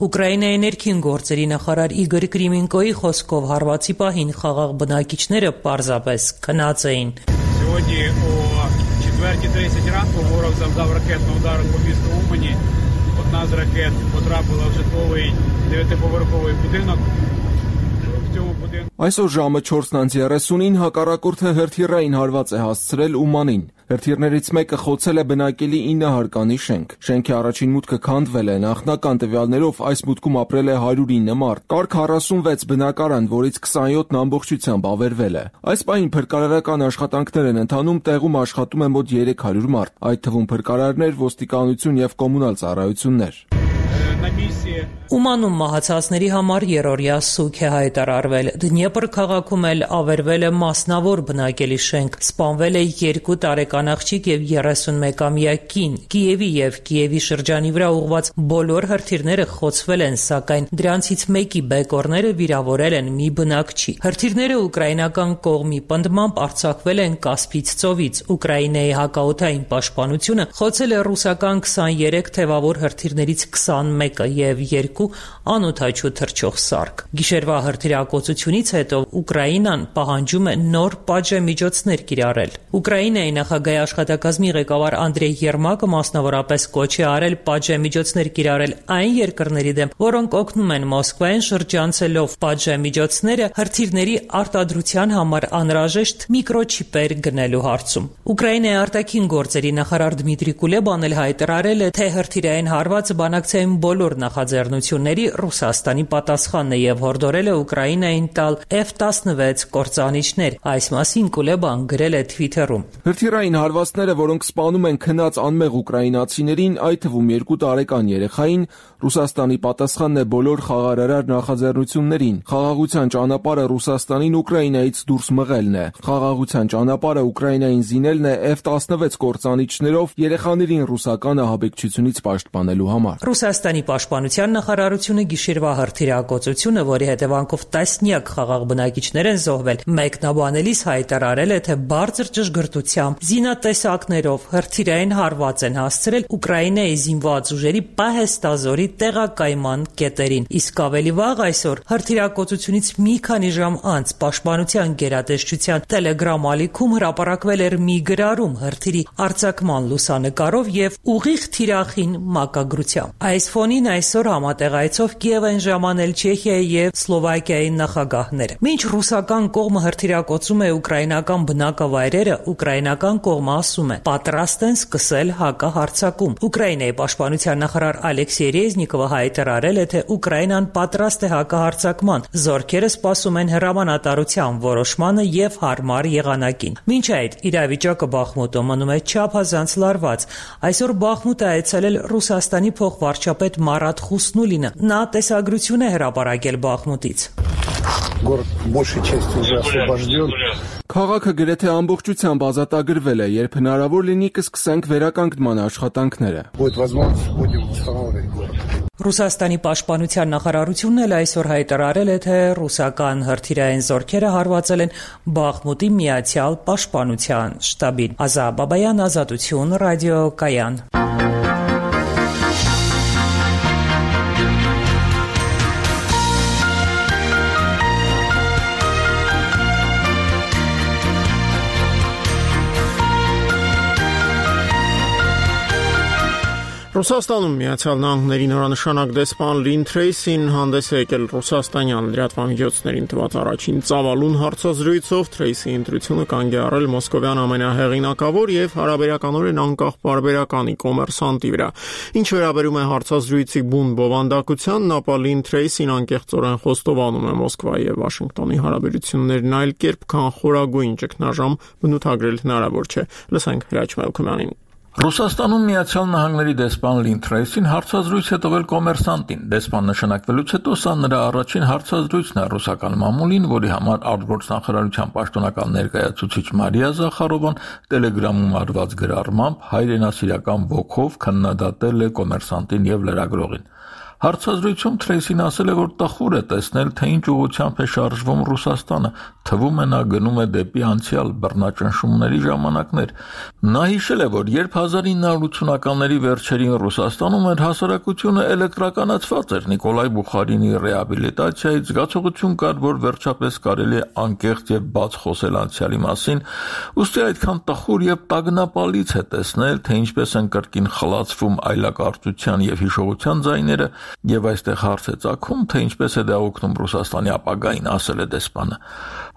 Ուկրաինայի ներքին գործերի նախարար Իգոր Կրիմինկոյի խոսքով հարվածի пահին խաղաղ բնակիչները պարզապես քնած էին։ Сьогодні о 4:30 ранку ворог завдав ракетного удару по місту Умані. Одна з ракет потрапила в житловий 9-поверховий будинок. В цьому будинку Այսօր ժամը 4:30-ին հակառակորդը հրթիռային հարված է հասցրել Ումանին։ Հրթիռներից մեկը խոցել է բնակելի 9 հարկանի շենք։ Շենքի առաջին մուտքը քանդվել է, նախնական տվյալներով այս մուտքում ապրել է 109 մարդ։ Կար 46 բնակարան, որից 27-ն ամբողջությամբ ավերվել է։ Այս պահին փրկարարական աշխատանքներ են ընթանում, տեղում աշխատում է մոտ 300 մարդ, այդ թվում փրկարարներ, ոստիկանություն եւ կոմունալ ծառայություններ։ Ումանում մահացածների համար երրորդյա սուգ է հայտարարվել։ Դնեպր քաղաքում էլ ավերվել է մասնավոր բնակելի շենք, սպանվել է 2 տարեկան աղջիկ եւ 31-ամյա կին։ Կիևի եւ Կիևի շրջանի վրա ուղղված բոլոր հրթիռները խոցվել են, սակայն դրանցից մեկի բեկորները վիրավորել են մի բնակչի։ Հրթիռները ուկրաինական կողմի պնդմամբ արձակվել են Կասպից ծովից։ Ուկրաինայի հակաօդային պաշտպանությունը խոցել է ռուսական 23 թևավոր հրթիռներից 21-ը եւ 2 անօդաչու թռչող սարք։ Գիշերվա հրթիռակոծությունից հետո Ուկրաինան պահանջում է նոր պատժամիջոցներ կիրառել։ Ուկրաինայի նախագահի աշխատակազմի ղեկավար Անդրեյ Երմակը մասնավորապես կոչ է արել պատժամիջոցներ կիրառել այն երկրների դեմ, որոնք օգնում են Մոսկվային շրջանցելով պատժամիջոցները հրթիռների արտադրության համար անհրաժեշտ միկրոչիպեր գնելու հարցում։ Ուկրաինայի արտաքին գործերի նախարար Դմիտրի Կուլեբան էլ հայտարարել է, թե հրթիռային հարվածը բանակցային բոլոր նախաձեռնությունների Ռուսաստանի պատասխանն է եւ հորդորել է Ուկրաինային տալ F-16 կործանիչներ։ Այս մասին Կուլեբան գրել է Twitter-ում։ Հրթիռային հարվածները, որոնք սպանում են քնած անմեղ ուկրաինացիներին, այդ թվում 2 տարեկան երեխային, Ռուսաստանի պատասխանն է բոլոր խաղաղարար նախաձեռնություններին։ Խաղաղության ճանապարհը Ռուսաստանին Ուկրաինայից դուրս մղելն է։ Խաղաղության ճանապարհը Ուկրաինային զինելն է F-16 կործանիչներով երեխաներին ռուսական ահաբեկչությունից պաշտպանելու համար։ Ռուսաստանի պաշտպանության նախարարությունը գիշերվա հրթիռակոծությունը, որի հետևանքով տասնյակ խաղաղ բնակիչներ են զոհվել, մեկնաբանելիս հայտարարել է, թե բարձր ճշգրտությամբ զինատեսակներով հրթիռային հարված են հասցրել Ուկրաինայի զինված ուժերի պահեստազորի տեղակայման կետերին։ Իսկ ավելի վաղ այսօր հրթիռակոծությունից մի քանի ժամ անց պաշտպանության գերատեսչության Telegram ալիքում հրապարակվել էր մի գրառում հրթիռի արձակման լուսանկարով եւ ուղիղ թիրախին մակագրությամբ։ Այս ֆոնին այսօր համատեղայցով Կիև են ժամանել Չեխիայի եւ Սլովակիայի նախագահները։ Մինչ ռուսական կողմը հրթիռակոծում է ուկրաինական բնակավայրերը, ուկրաինական կողմը ասում է՝ պատրաստ են սկսել հակահարձակում։ Ուկրաինայի պաշտպանության նախարար Ալեքսեյ Ռեզնիկովը հայտարարել է, թե Ուկրաինան պատրաստ է հակահարձակման։ Զորքերը սպասում են հրամանատարության որոշմանը եւ հարմար եղանակին։ Մինչ այդ իրավիճակը Բախմուտում մնում է չափազանց լարված։ Այսօր Բախմուտ է այցելել Ռուսաստանի փոխվարչապետ Մարատ Խուսնուլինը։ Նա տեսագրություն է հրապարակել Բախմուտից։ Քաղաքը գրեթե ամբողջությամբ ազատագրվել է, երբ հնարավոր լինի կսկսենք վերականգնման աշխատանքները։ Ռուսաստանի պաշտպանության նախարարությունն էլ այսօր հայտարարել է, թե ռուսական հրթիռային զորքերը հարվածել են Բախմուտի միացյալ պաշտպանության շտաբին։ Ազա Բաբայան, Ազատություն, ռադիոկայան։ Ռուսաստանում Միացյալ Նահանգների նորանշանակ դեսպան Լին Թրեյսին հանդես է եկել ռուսաստանյան լրատվամիջոցներին տված առաջին ծավալուն հարցազրույցով։ Թրեյսի ընտրությունը կանգ է առել մոսկովյան ամենահեղինակավոր եւ հարաբերականորեն անկախ պարբերականի կոմերսանտի վրա։ Ինչ վերաբերում է հարցազրույցի բուն բովանդակության, ապա Լին Թրեյսին անկեղծորեն խոստովանում է Մոսկվայի եւ Վաշինգտոնի հարաբերություններն այլ կերպ, քան խորագույն ճգնաժամ բնութագրել հնարավոր չէ։ Լսենք Հրաչ Մելքումյանին։ Ռուսաստանում Միացյալ Նահանգների դեսպան Լին Թրեյսին հարցազրույց է տվել կոմերսանտին։ Դեսպան նշանակվելուց հետո սա նրա առաջին հարցազրույցն է ռուսական մամուլին, որի համար արտգործնախարարության պաշտոնական ներկայացուցիչ Մարիա Զախարովան Telegram-ում արված գրառմամբ հայրենասիրական ոգով քննադատել է կոմերսանտին եւ լրագրողին։ Հարցազրույցում Թրեյսին ասել է, որ տխուր է տեսնել, թե ինչ ուղղությամբ է շարժվում Ռուսաստանը, թվում է նա գնում է դեպի անցյալ բռնաճնշումների ժամանակներ։ Նա հիշել է, որ երբ 1980-ականների վերջերին Ռուսաստանում էր հասարակությունը էլեկտրականացված էր Նիկոլայ Բուխարինի ռեաբիլիտացիայից, զգացողություն կար, որ վերջապես կարելի է անկեղծ եւ բաց խոսել անցյալի մասին, ուստի այդքան տխուր եւ տագնապալից է տեսնել, թե ինչպես են կրկին խլացվում այլակարծության եւ հիշողության ձայները, եւ այստեղ հարց է ծագում, թե ինչպես է դա օգնում Ռուսաստանի ապագային, ասել է դեսպանը։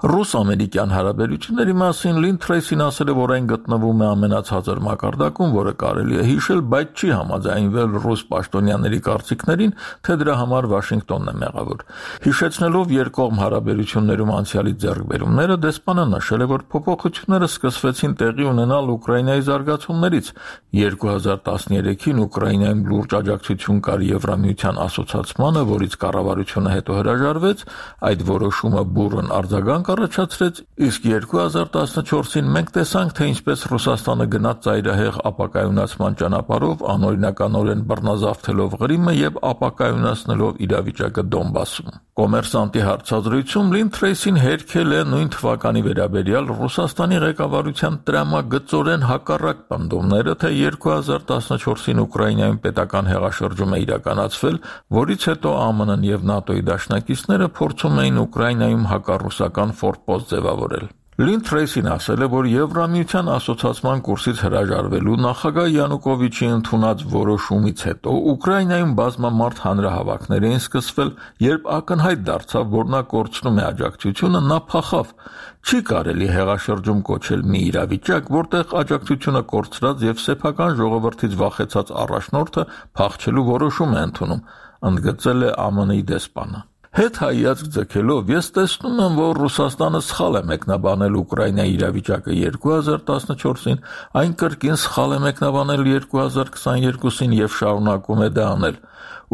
Ռուս-ամերիկյան հարաբերությունների մասին Լին Թրեյսին ասել է, որ այն գտնվում է ամենացածր մակարդակում, որը կարելի է հիշել, բայց չի համաձայնվել ռուս պաշտոնյաների կարծիքներին, թե դրա համար Վաշինգտոնն է մեղավոր։ Հիշեցնելով երկկողմ հարաբերություններում անցյալի ձեռքբերումները, դեսպանը նշել է, որ փոփոխությունները սկսվեցին տեղի ունենալ Ուկրաինայի զարգացումներից։ 2013-ին Ուկրաինայում լուրջ աջակցություն կար Եվրամիության ասոցացմանը, որից կառավարությունը հետո հրաժարվեց, այդ որոշումը բուռն արձագանք առաջացրեց, իսկ 2014-ին մենք տեսանք, թե ինչպես Ռուսաստանը գնաց ծայրահեղ ապակայունացման ճանապարհով, անօրինականորեն բռնազավթելով Ղրիմը եւ ապակայունացնելով իրավիճակը Դոնբասում։ Կոմերսանտի հարցազրույցում Լին Թրեյսին հերքել է նույն թվականի վերաբերյալ Ռուսաստանի ղեկավարության տրամագծորեն հակառակ պնդումները, թե 2014-ին Ուկրաինայում պետական հեղաշրջում է իրականացվել, որից հետո ԱՄՆ-ն եւ ՆԱՏՕ-ի դաշնակիցները փորձում էին Ուկրաինայում հակառուսական ֆորպոստ ձևավորել։ Լին Թրեյսին ասել է, որ Եվրամիության ասոցացման կուրսից հրաժարվելու նախագահ Յանուկովիչի ընդունած որոշումից հետո Ուկրաինայում բազմամարդ հանրահավաքներ էին սկսվել, երբ ակնհայտ դարձավ, որ նա կորցնում է աջակցությունը, նա փախավ։ Չի կարելի հեղաշրջում կոչել մի իրավիճակ, որտեղ աջակցությունը կորցրած եւ սեփական ժողովրդից վախեցած առաջնորդը փախչելու որոշում է ընդունում, ընդգծել է ԱՄՆ-ի դեսպանը։ Հետ հայացք ձգելով ես տեսնում եմ, որ Ռուսաստանը սխալ է մեկնաբանել Ուկրաինայի իրավիճակը 2014-ին, այն կրկին սխալ է մեկնաբանել 2022-ին եւ շարունակում է դա անել։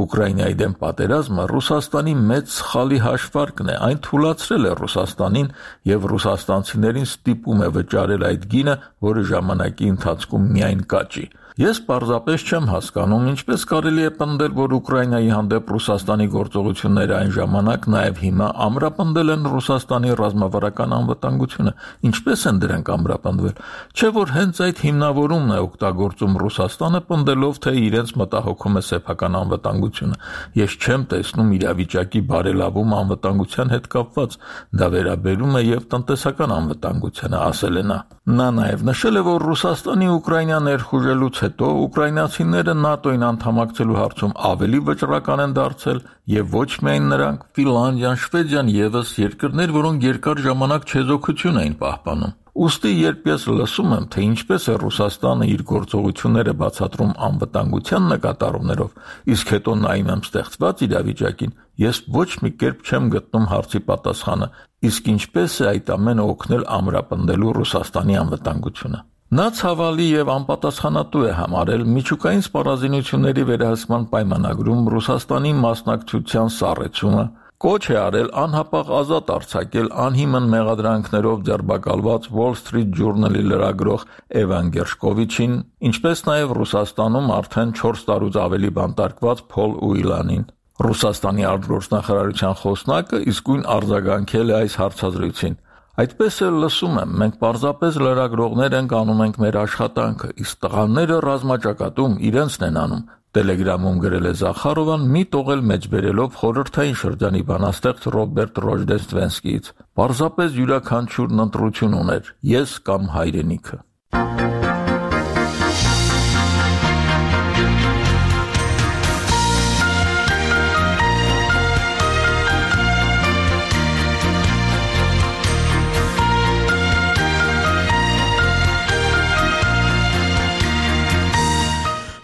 Ուկրաինայի դեմ պատերազմը Ռուսաստանի մեծ սխալի հաշվարկն է, այն թուլացրել է Ռուսաստանին եւ ռուսաստանցիներին ստիպում է վճարել այդ գինը, որը ժամանակի ընթացքում միայն կաճի։ Ես պարզապես չեմ հասկանում, ինչպես կարելի է պնդել, որ Ուկրաինայի հանդեպ Ռուսաստանի գործողությունները այն ժամանակ, նաև հիմա ամրապնդել են Ռուսաստանի ռազմավարական անվտանգությունը։ Ինչպես են դրանք ամրապնդվել։ Չէ՞ որ հենց այդ հիմնավորումն է օգտագործում Ռուսաստանը, պնդելով, թե իրենց մտահոգում է սեփական անվտանգությունը։ Ես չեմ տեսնում իրավիճակի բարելավում անվտանգության հետ կապված։ Դա վերաբերում է եւ տնտեսական անվտանգությանը, ասել է նա։ Նա նաև նշել է, որ Ռուսաստանի Ուկրաինա ներխուժելուց հետո ուկրաինացիները ՆԱՏՕ-ին անդամակցելու հարցում ավելի վճռական են դարձել եւ ոչ միայն նրանք, Ֆինլանդիան, Շվեդիան եւս երկրներ, որոնք երկար ժամանակ չեզոքություն էին պահպանում։ Ուստի երբ ես լսում եմ, թե ինչպես է Ռուսաստանը իր գործողությունները բացատրում անվտանգության նկատառումներով, իսկ հետո նայում եմ ստեղծված իրավիճակին, ես ոչ մի կերպ չեմ գտնում հարցի պատասխանը, իսկ ինչպես է այդ ամենը օգնել ամրապնդելու Ռուսաստանի անվտանգությունը։ Նա ցավալի եւ անպատասխանատու է համարել միջուկային սպառազինությունների վերահսկման պայմանագրում Ռուսաստանի մասնակցության սառեցումը, կոչ է արել անհապաղ ազատ արձակել անհիմն մեղադրանքներով ձերբակալված Wall Street Journal-ի լրագրող Էվան Գերշկովիչին, ինչպես նաև Ռուսաստանում արդեն 4 տարուց ավելի բանտարկված Փոլ Ուիլանին։ Ռուսաստանի արտգործնախարարության խոսնակը իսկույն արձագանքել է այս հարցազրույցին։ Այդպես էլ լսում եմ, մենք պարզապես լրագրողներ ենք անում ենք մեր աշխատանքը, իսկ տղաները ռազմաճակատում իրենցն են անում։ Telegram-ում գրել է Զախարովան, մի տողել մեջբերելով խորհրդային շրջանի բանաստեղծ Ռոբերտ Ռոժդեստվենսկիից։ Պարզապես յուրաքանչյուրն ընտրություն ուներ՝ ես կամ հայրենիքը։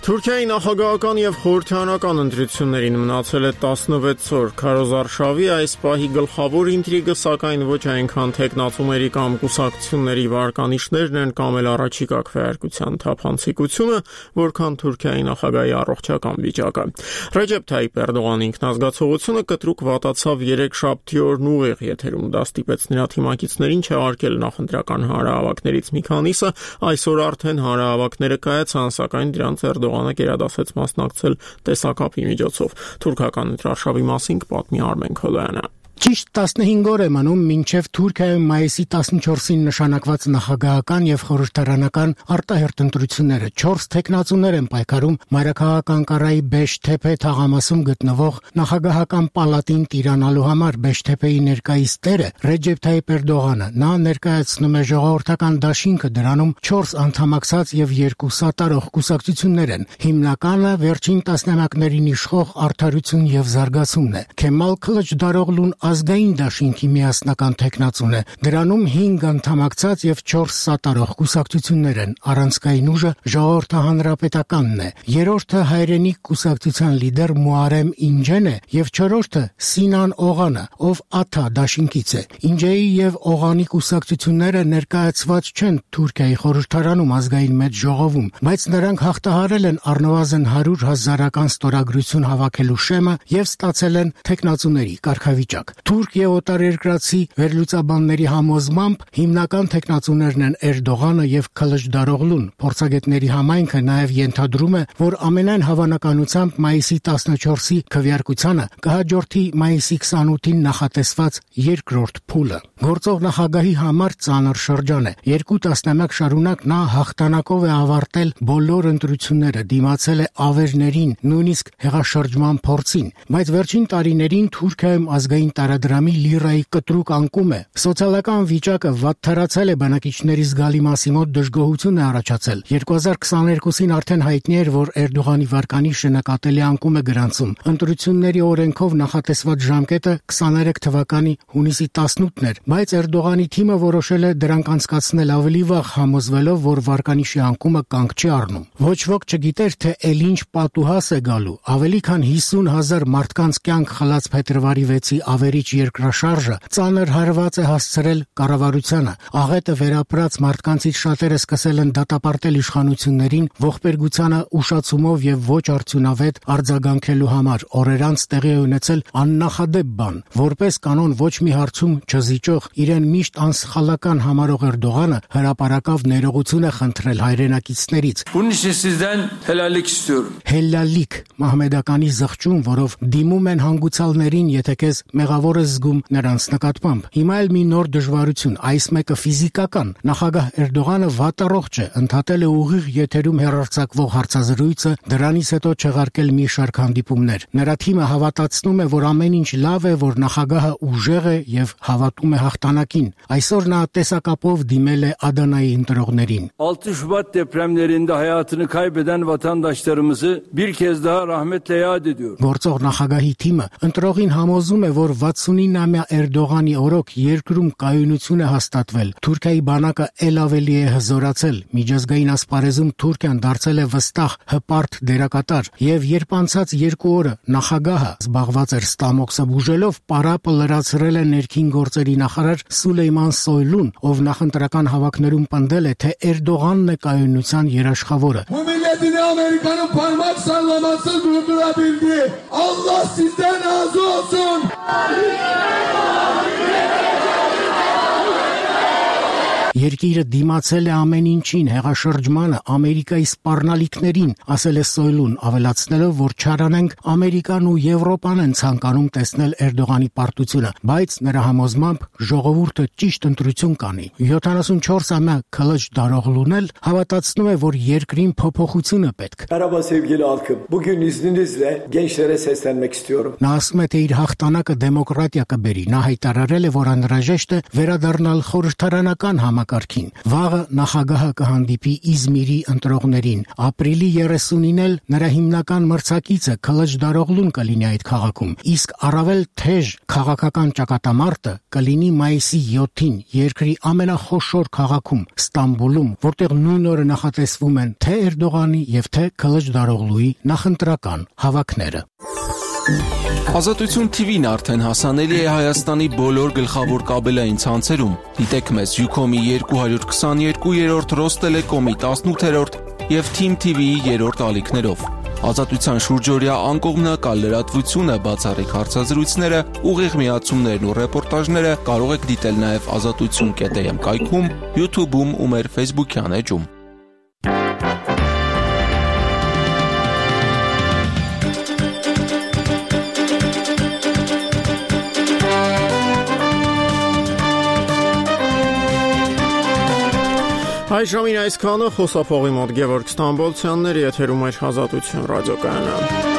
Թուրքիայի նախագահական եւ խորհրդարանական ընտրություններին մնացել է 16 օր։ Քարոզարշավի այս պահի գլխավոր ինտրիգը սակայն ոչ այնքան տեխնացումների կամ կուսակցությունների վարկանիշներն են կամ էլ առաջիկա քվեարկության թափանցիկությունը, որքան Թուրքիայի նախագահի առողջական վիճակը։ Ռեջեփ Թայիպ Էրդողանի ինքնազգացողությունը կտրուկ վատացավ 3 շաբթի օրն ուղիղ եթերում դա ստիպեց նրա թիմակիցներին չհարկել նախընտրական հանրահավաքներից մի քանիսը, այսօր արդեն հանրահավաքները կայացան, սակայն դրանց Էրդողանը գերադասեց մասնակցել տեսակապի միջոցով։ Թուրքական ընտրարշավի մասին կպատմի Արմեն Քոլոյանը։ Ճիշտ 15 օր է մնում մինչև Թուրքիայում մայիսի 14-ին նշանակված նախագահական եւ խորհրդարանական արտահերթ ընտրությունները 4 տեխնացուներ են պայքարում մայրաքաղաք Անկարայի Բեշթեփե թաղամասում գտնվող նախագահական պալատին տիրանալու համար։ Բեշթեփեի ներկայիս տերը Ռեջեփ Թայիպ Էրդողանը նա ներկայացնում է ժողովրդական դաշինքը, դրանում 4 անդամակցած եւ 2 սատարող կուսակցություններ են։ Հիմնականը վերջին տասնամյակներին իշխող Արդարություն եւ զարգացումն է։ Քեմալ Քլիչդարօղլուն ազգային դաշինքի միասնական տեխնացուն է, դրանում 5 անդամակցած եւ 4 սատարող կուսակցություններ են, առանցքային ուժը ժողովրդահանրապետականն է, երրորդը հայրենիք կուսակցության լիդեր Մուարեմ Ինջեն է եւ չորրորդը Սինան Օղանը, ով ԱԹԱ դաշինքից է։ Ինջեի եւ Օղանի կուսակցությունները ներկայացված չեն Թուրքիայի խորհրդարանում ազգային մեծ ժողովում, բայց նրանք հաղթահարել են առնվազն 100,000-ական ստորագրություն հավաքելու շեմը եւ ստացել են տեխնացուների կարգավիճակ։ Թուրք եւ օտարերկրացի վերլուծաբանների համոզմամբ հիմնական տեխնացուներն են Էրդողանը եւ Քլիչդարօղլուն։ Փորձագետների համայնքը նաեւ ենթադրում է, որ ամենայն հավանականությամբ մայիսի 14-ի քվեարկությանը կհաջորդի մայիսի 28-ին նախատեսված երկրորդ փուլը։ Գործող նախագահի համար ծանր շրջան է։ 2 տասնամյակ շարունակ նա հաղթանակով է ավարտել բոլոր ընտրությունները, դիմացել է ավերներին, նույնիսկ հեղաշրջման փորձին, բայց վերջին տարիներին Թուրքիայում ազգային տարադրամի լիրայի կտրուկ անկում է։ Սոցիալական վիճակը վատթարացել է, բնակիչների զգալի մասի մոտ դժգոհություն է առաջացել։ 2022-ին արդեն հայտնի էր, որ Էրդողանի վարկանիշը նկատելի անկում է գրանցում։ Ընտրությունների օրենքով նախատեսված ժամկետը 23 թվականի հունիսի 18-ն էր, բայց Էրդողանի թիմը որոշել է դրանք անցկացնել ավելի վաղ, համոզվելով, որ վարկանիշի անկումը կանգ չի առնում։ Ոչ ոք չգիտեր, թե ել ինչ պատուհաս է գալու։ Ավելի քան 50,000 մարդկանց կյանք խլած փետրվարի 6-ի ավերիչ երկրաշարժը ծանր հարված է հասցրել կառավարությանը։ Աղետը վերապրած մարդկանցից շատերը սկսել են դատապարտել իշխանություններին ողբերգությանը ուշացումով եւ ոչ արդյունավետ արձագանքելու համար։ Օրեր անց տեղի է ունեցել աննախադեպ բան։ Որպես կանոն ոչ մի հարցում չզիջող, իրեն միշտ անսխալական համարող Էրդողանը հրապարակավ ներողություն է խնդրել հայրենակիցներից։ Հելալիք մահմեդականի զղջում, որով դիմում են հանգուցալներին, եթե քեզ մեղավոր է զգում նրանց նկատմամբ։ Հիմա էլ մի նոր դժվարություն, այս մեկը ֆիզիկական։ Նախագահ Էրդողանը վատառողջ է, ընդհատել է ուղիղ եթերում հեռարձակվող հարցազրույցը, դրանից հետո չեղարկել մի շարք հանդիպումներ։ Նրա թիմը հավատացնում է, որ ամեն ինչ լավ է, որ նախագահը ուժեղ է եւ հավատում է հաղթանակին։ Այսօր նա տեսակապով դիմել է Ադանայի ընտրողներին։ 6 Şubat depremlerinde hayatını kaybeden vatandaşlarımızı bir kez daha rahmetle yad ediyor. Գործող նախագահի թիմը ընտրողին համոզում է, որ 69-ամյա Էրդողանի օրոք երկրում կայունություն է հաստատվել։ Թուրքիայի բանակը ել ավելի է հզորացել։ Միջազգային ասպարեզում Թուրքիան դարձել է վստահ, հպարտ դերակատար, եւ երբ անցած 2 օրը նախագահը զբաղված էր ստամոքսը բուժելով, պարապը լրացրել է ներքին գործերի նախարար Սուլեյման Սոյլուն, ով նախընտրական հավաքներում պնդել է, թե Էրդողանն է կայունության երաշխավորը։ Amerika'nın parmak sallaması durdurabildi. Allah sizden razı olsun. Երկիրը դիմացել է ամեն ինչին, հեղաշրջմանը, Ամերիկայի սպառնալիքներին, ասել է Սոյլուն, ավելացնելով, որ չարանենք Ամերիկան ու Եվրոպան են ցանկանում տեսնել Էրդողանի պարտությունը, բայց նրա համոզմամբ ժողովուրդը ճիշտ ընտրություն կանի։ 74-ամյա Քլիչդարօղլուն էլ հավատացնում է, որ երկրին փոփոխությունը պետք։ Merhaba sevgili halkım. Bugün izninizle gençlere seslenmek istiyorum. Նա ասում է, թե իր հաղթանակը դեմոկրատիա կբերի։ Նա հայտարարել է, որ անհրաժեշտ է վերադառնալ խորհրդարանական համակարգին։ Վաղը նախագահը կհանդիպի Իզմիրի ընտրողներին։ Ապրիլի 30-ին էլ նրա հիմնական մրցակիցը Քլիչդարօղլուն կլինի այդ քաղաքում, իսկ առավել թեժ քաղաքական ճակատամարտը կլինի մայիսի 7-ին երկրի ամենախոշոր քաղաքում Ստամբուլում, որտեղ նույն օրը նախատեսվում են թե Էրդողանի եւ թե Քլիչդարօղլուի նախընտրական հավաքները։ Ազատություն TV-ն արդեն հասանելի է Հայաստանի բոլոր գլխավոր կաբելային ցանցերում։ Դիտեք մեզ Ucom-ի 222-րդ, Ռոստելեկոմի 18-րդ եւ Team TV-ի 3-րդ ալիքներով։ Ազատության շուրջօրյա անկողմնակալ լրատվությունը, բացառիկ հարցազրույցները, ուղիղ միացումներն ու ռեպորտաժները կարող եք դիտել նաեւ azatutsun.am կայքում, YouTube-ում ու մեր Facebook-յան էջում։ Այժմին այսքանը խոսափողի մոտ Գևորգ Ստամբոլցյանների եթերում էր Ազատություն ռադիոկայանը։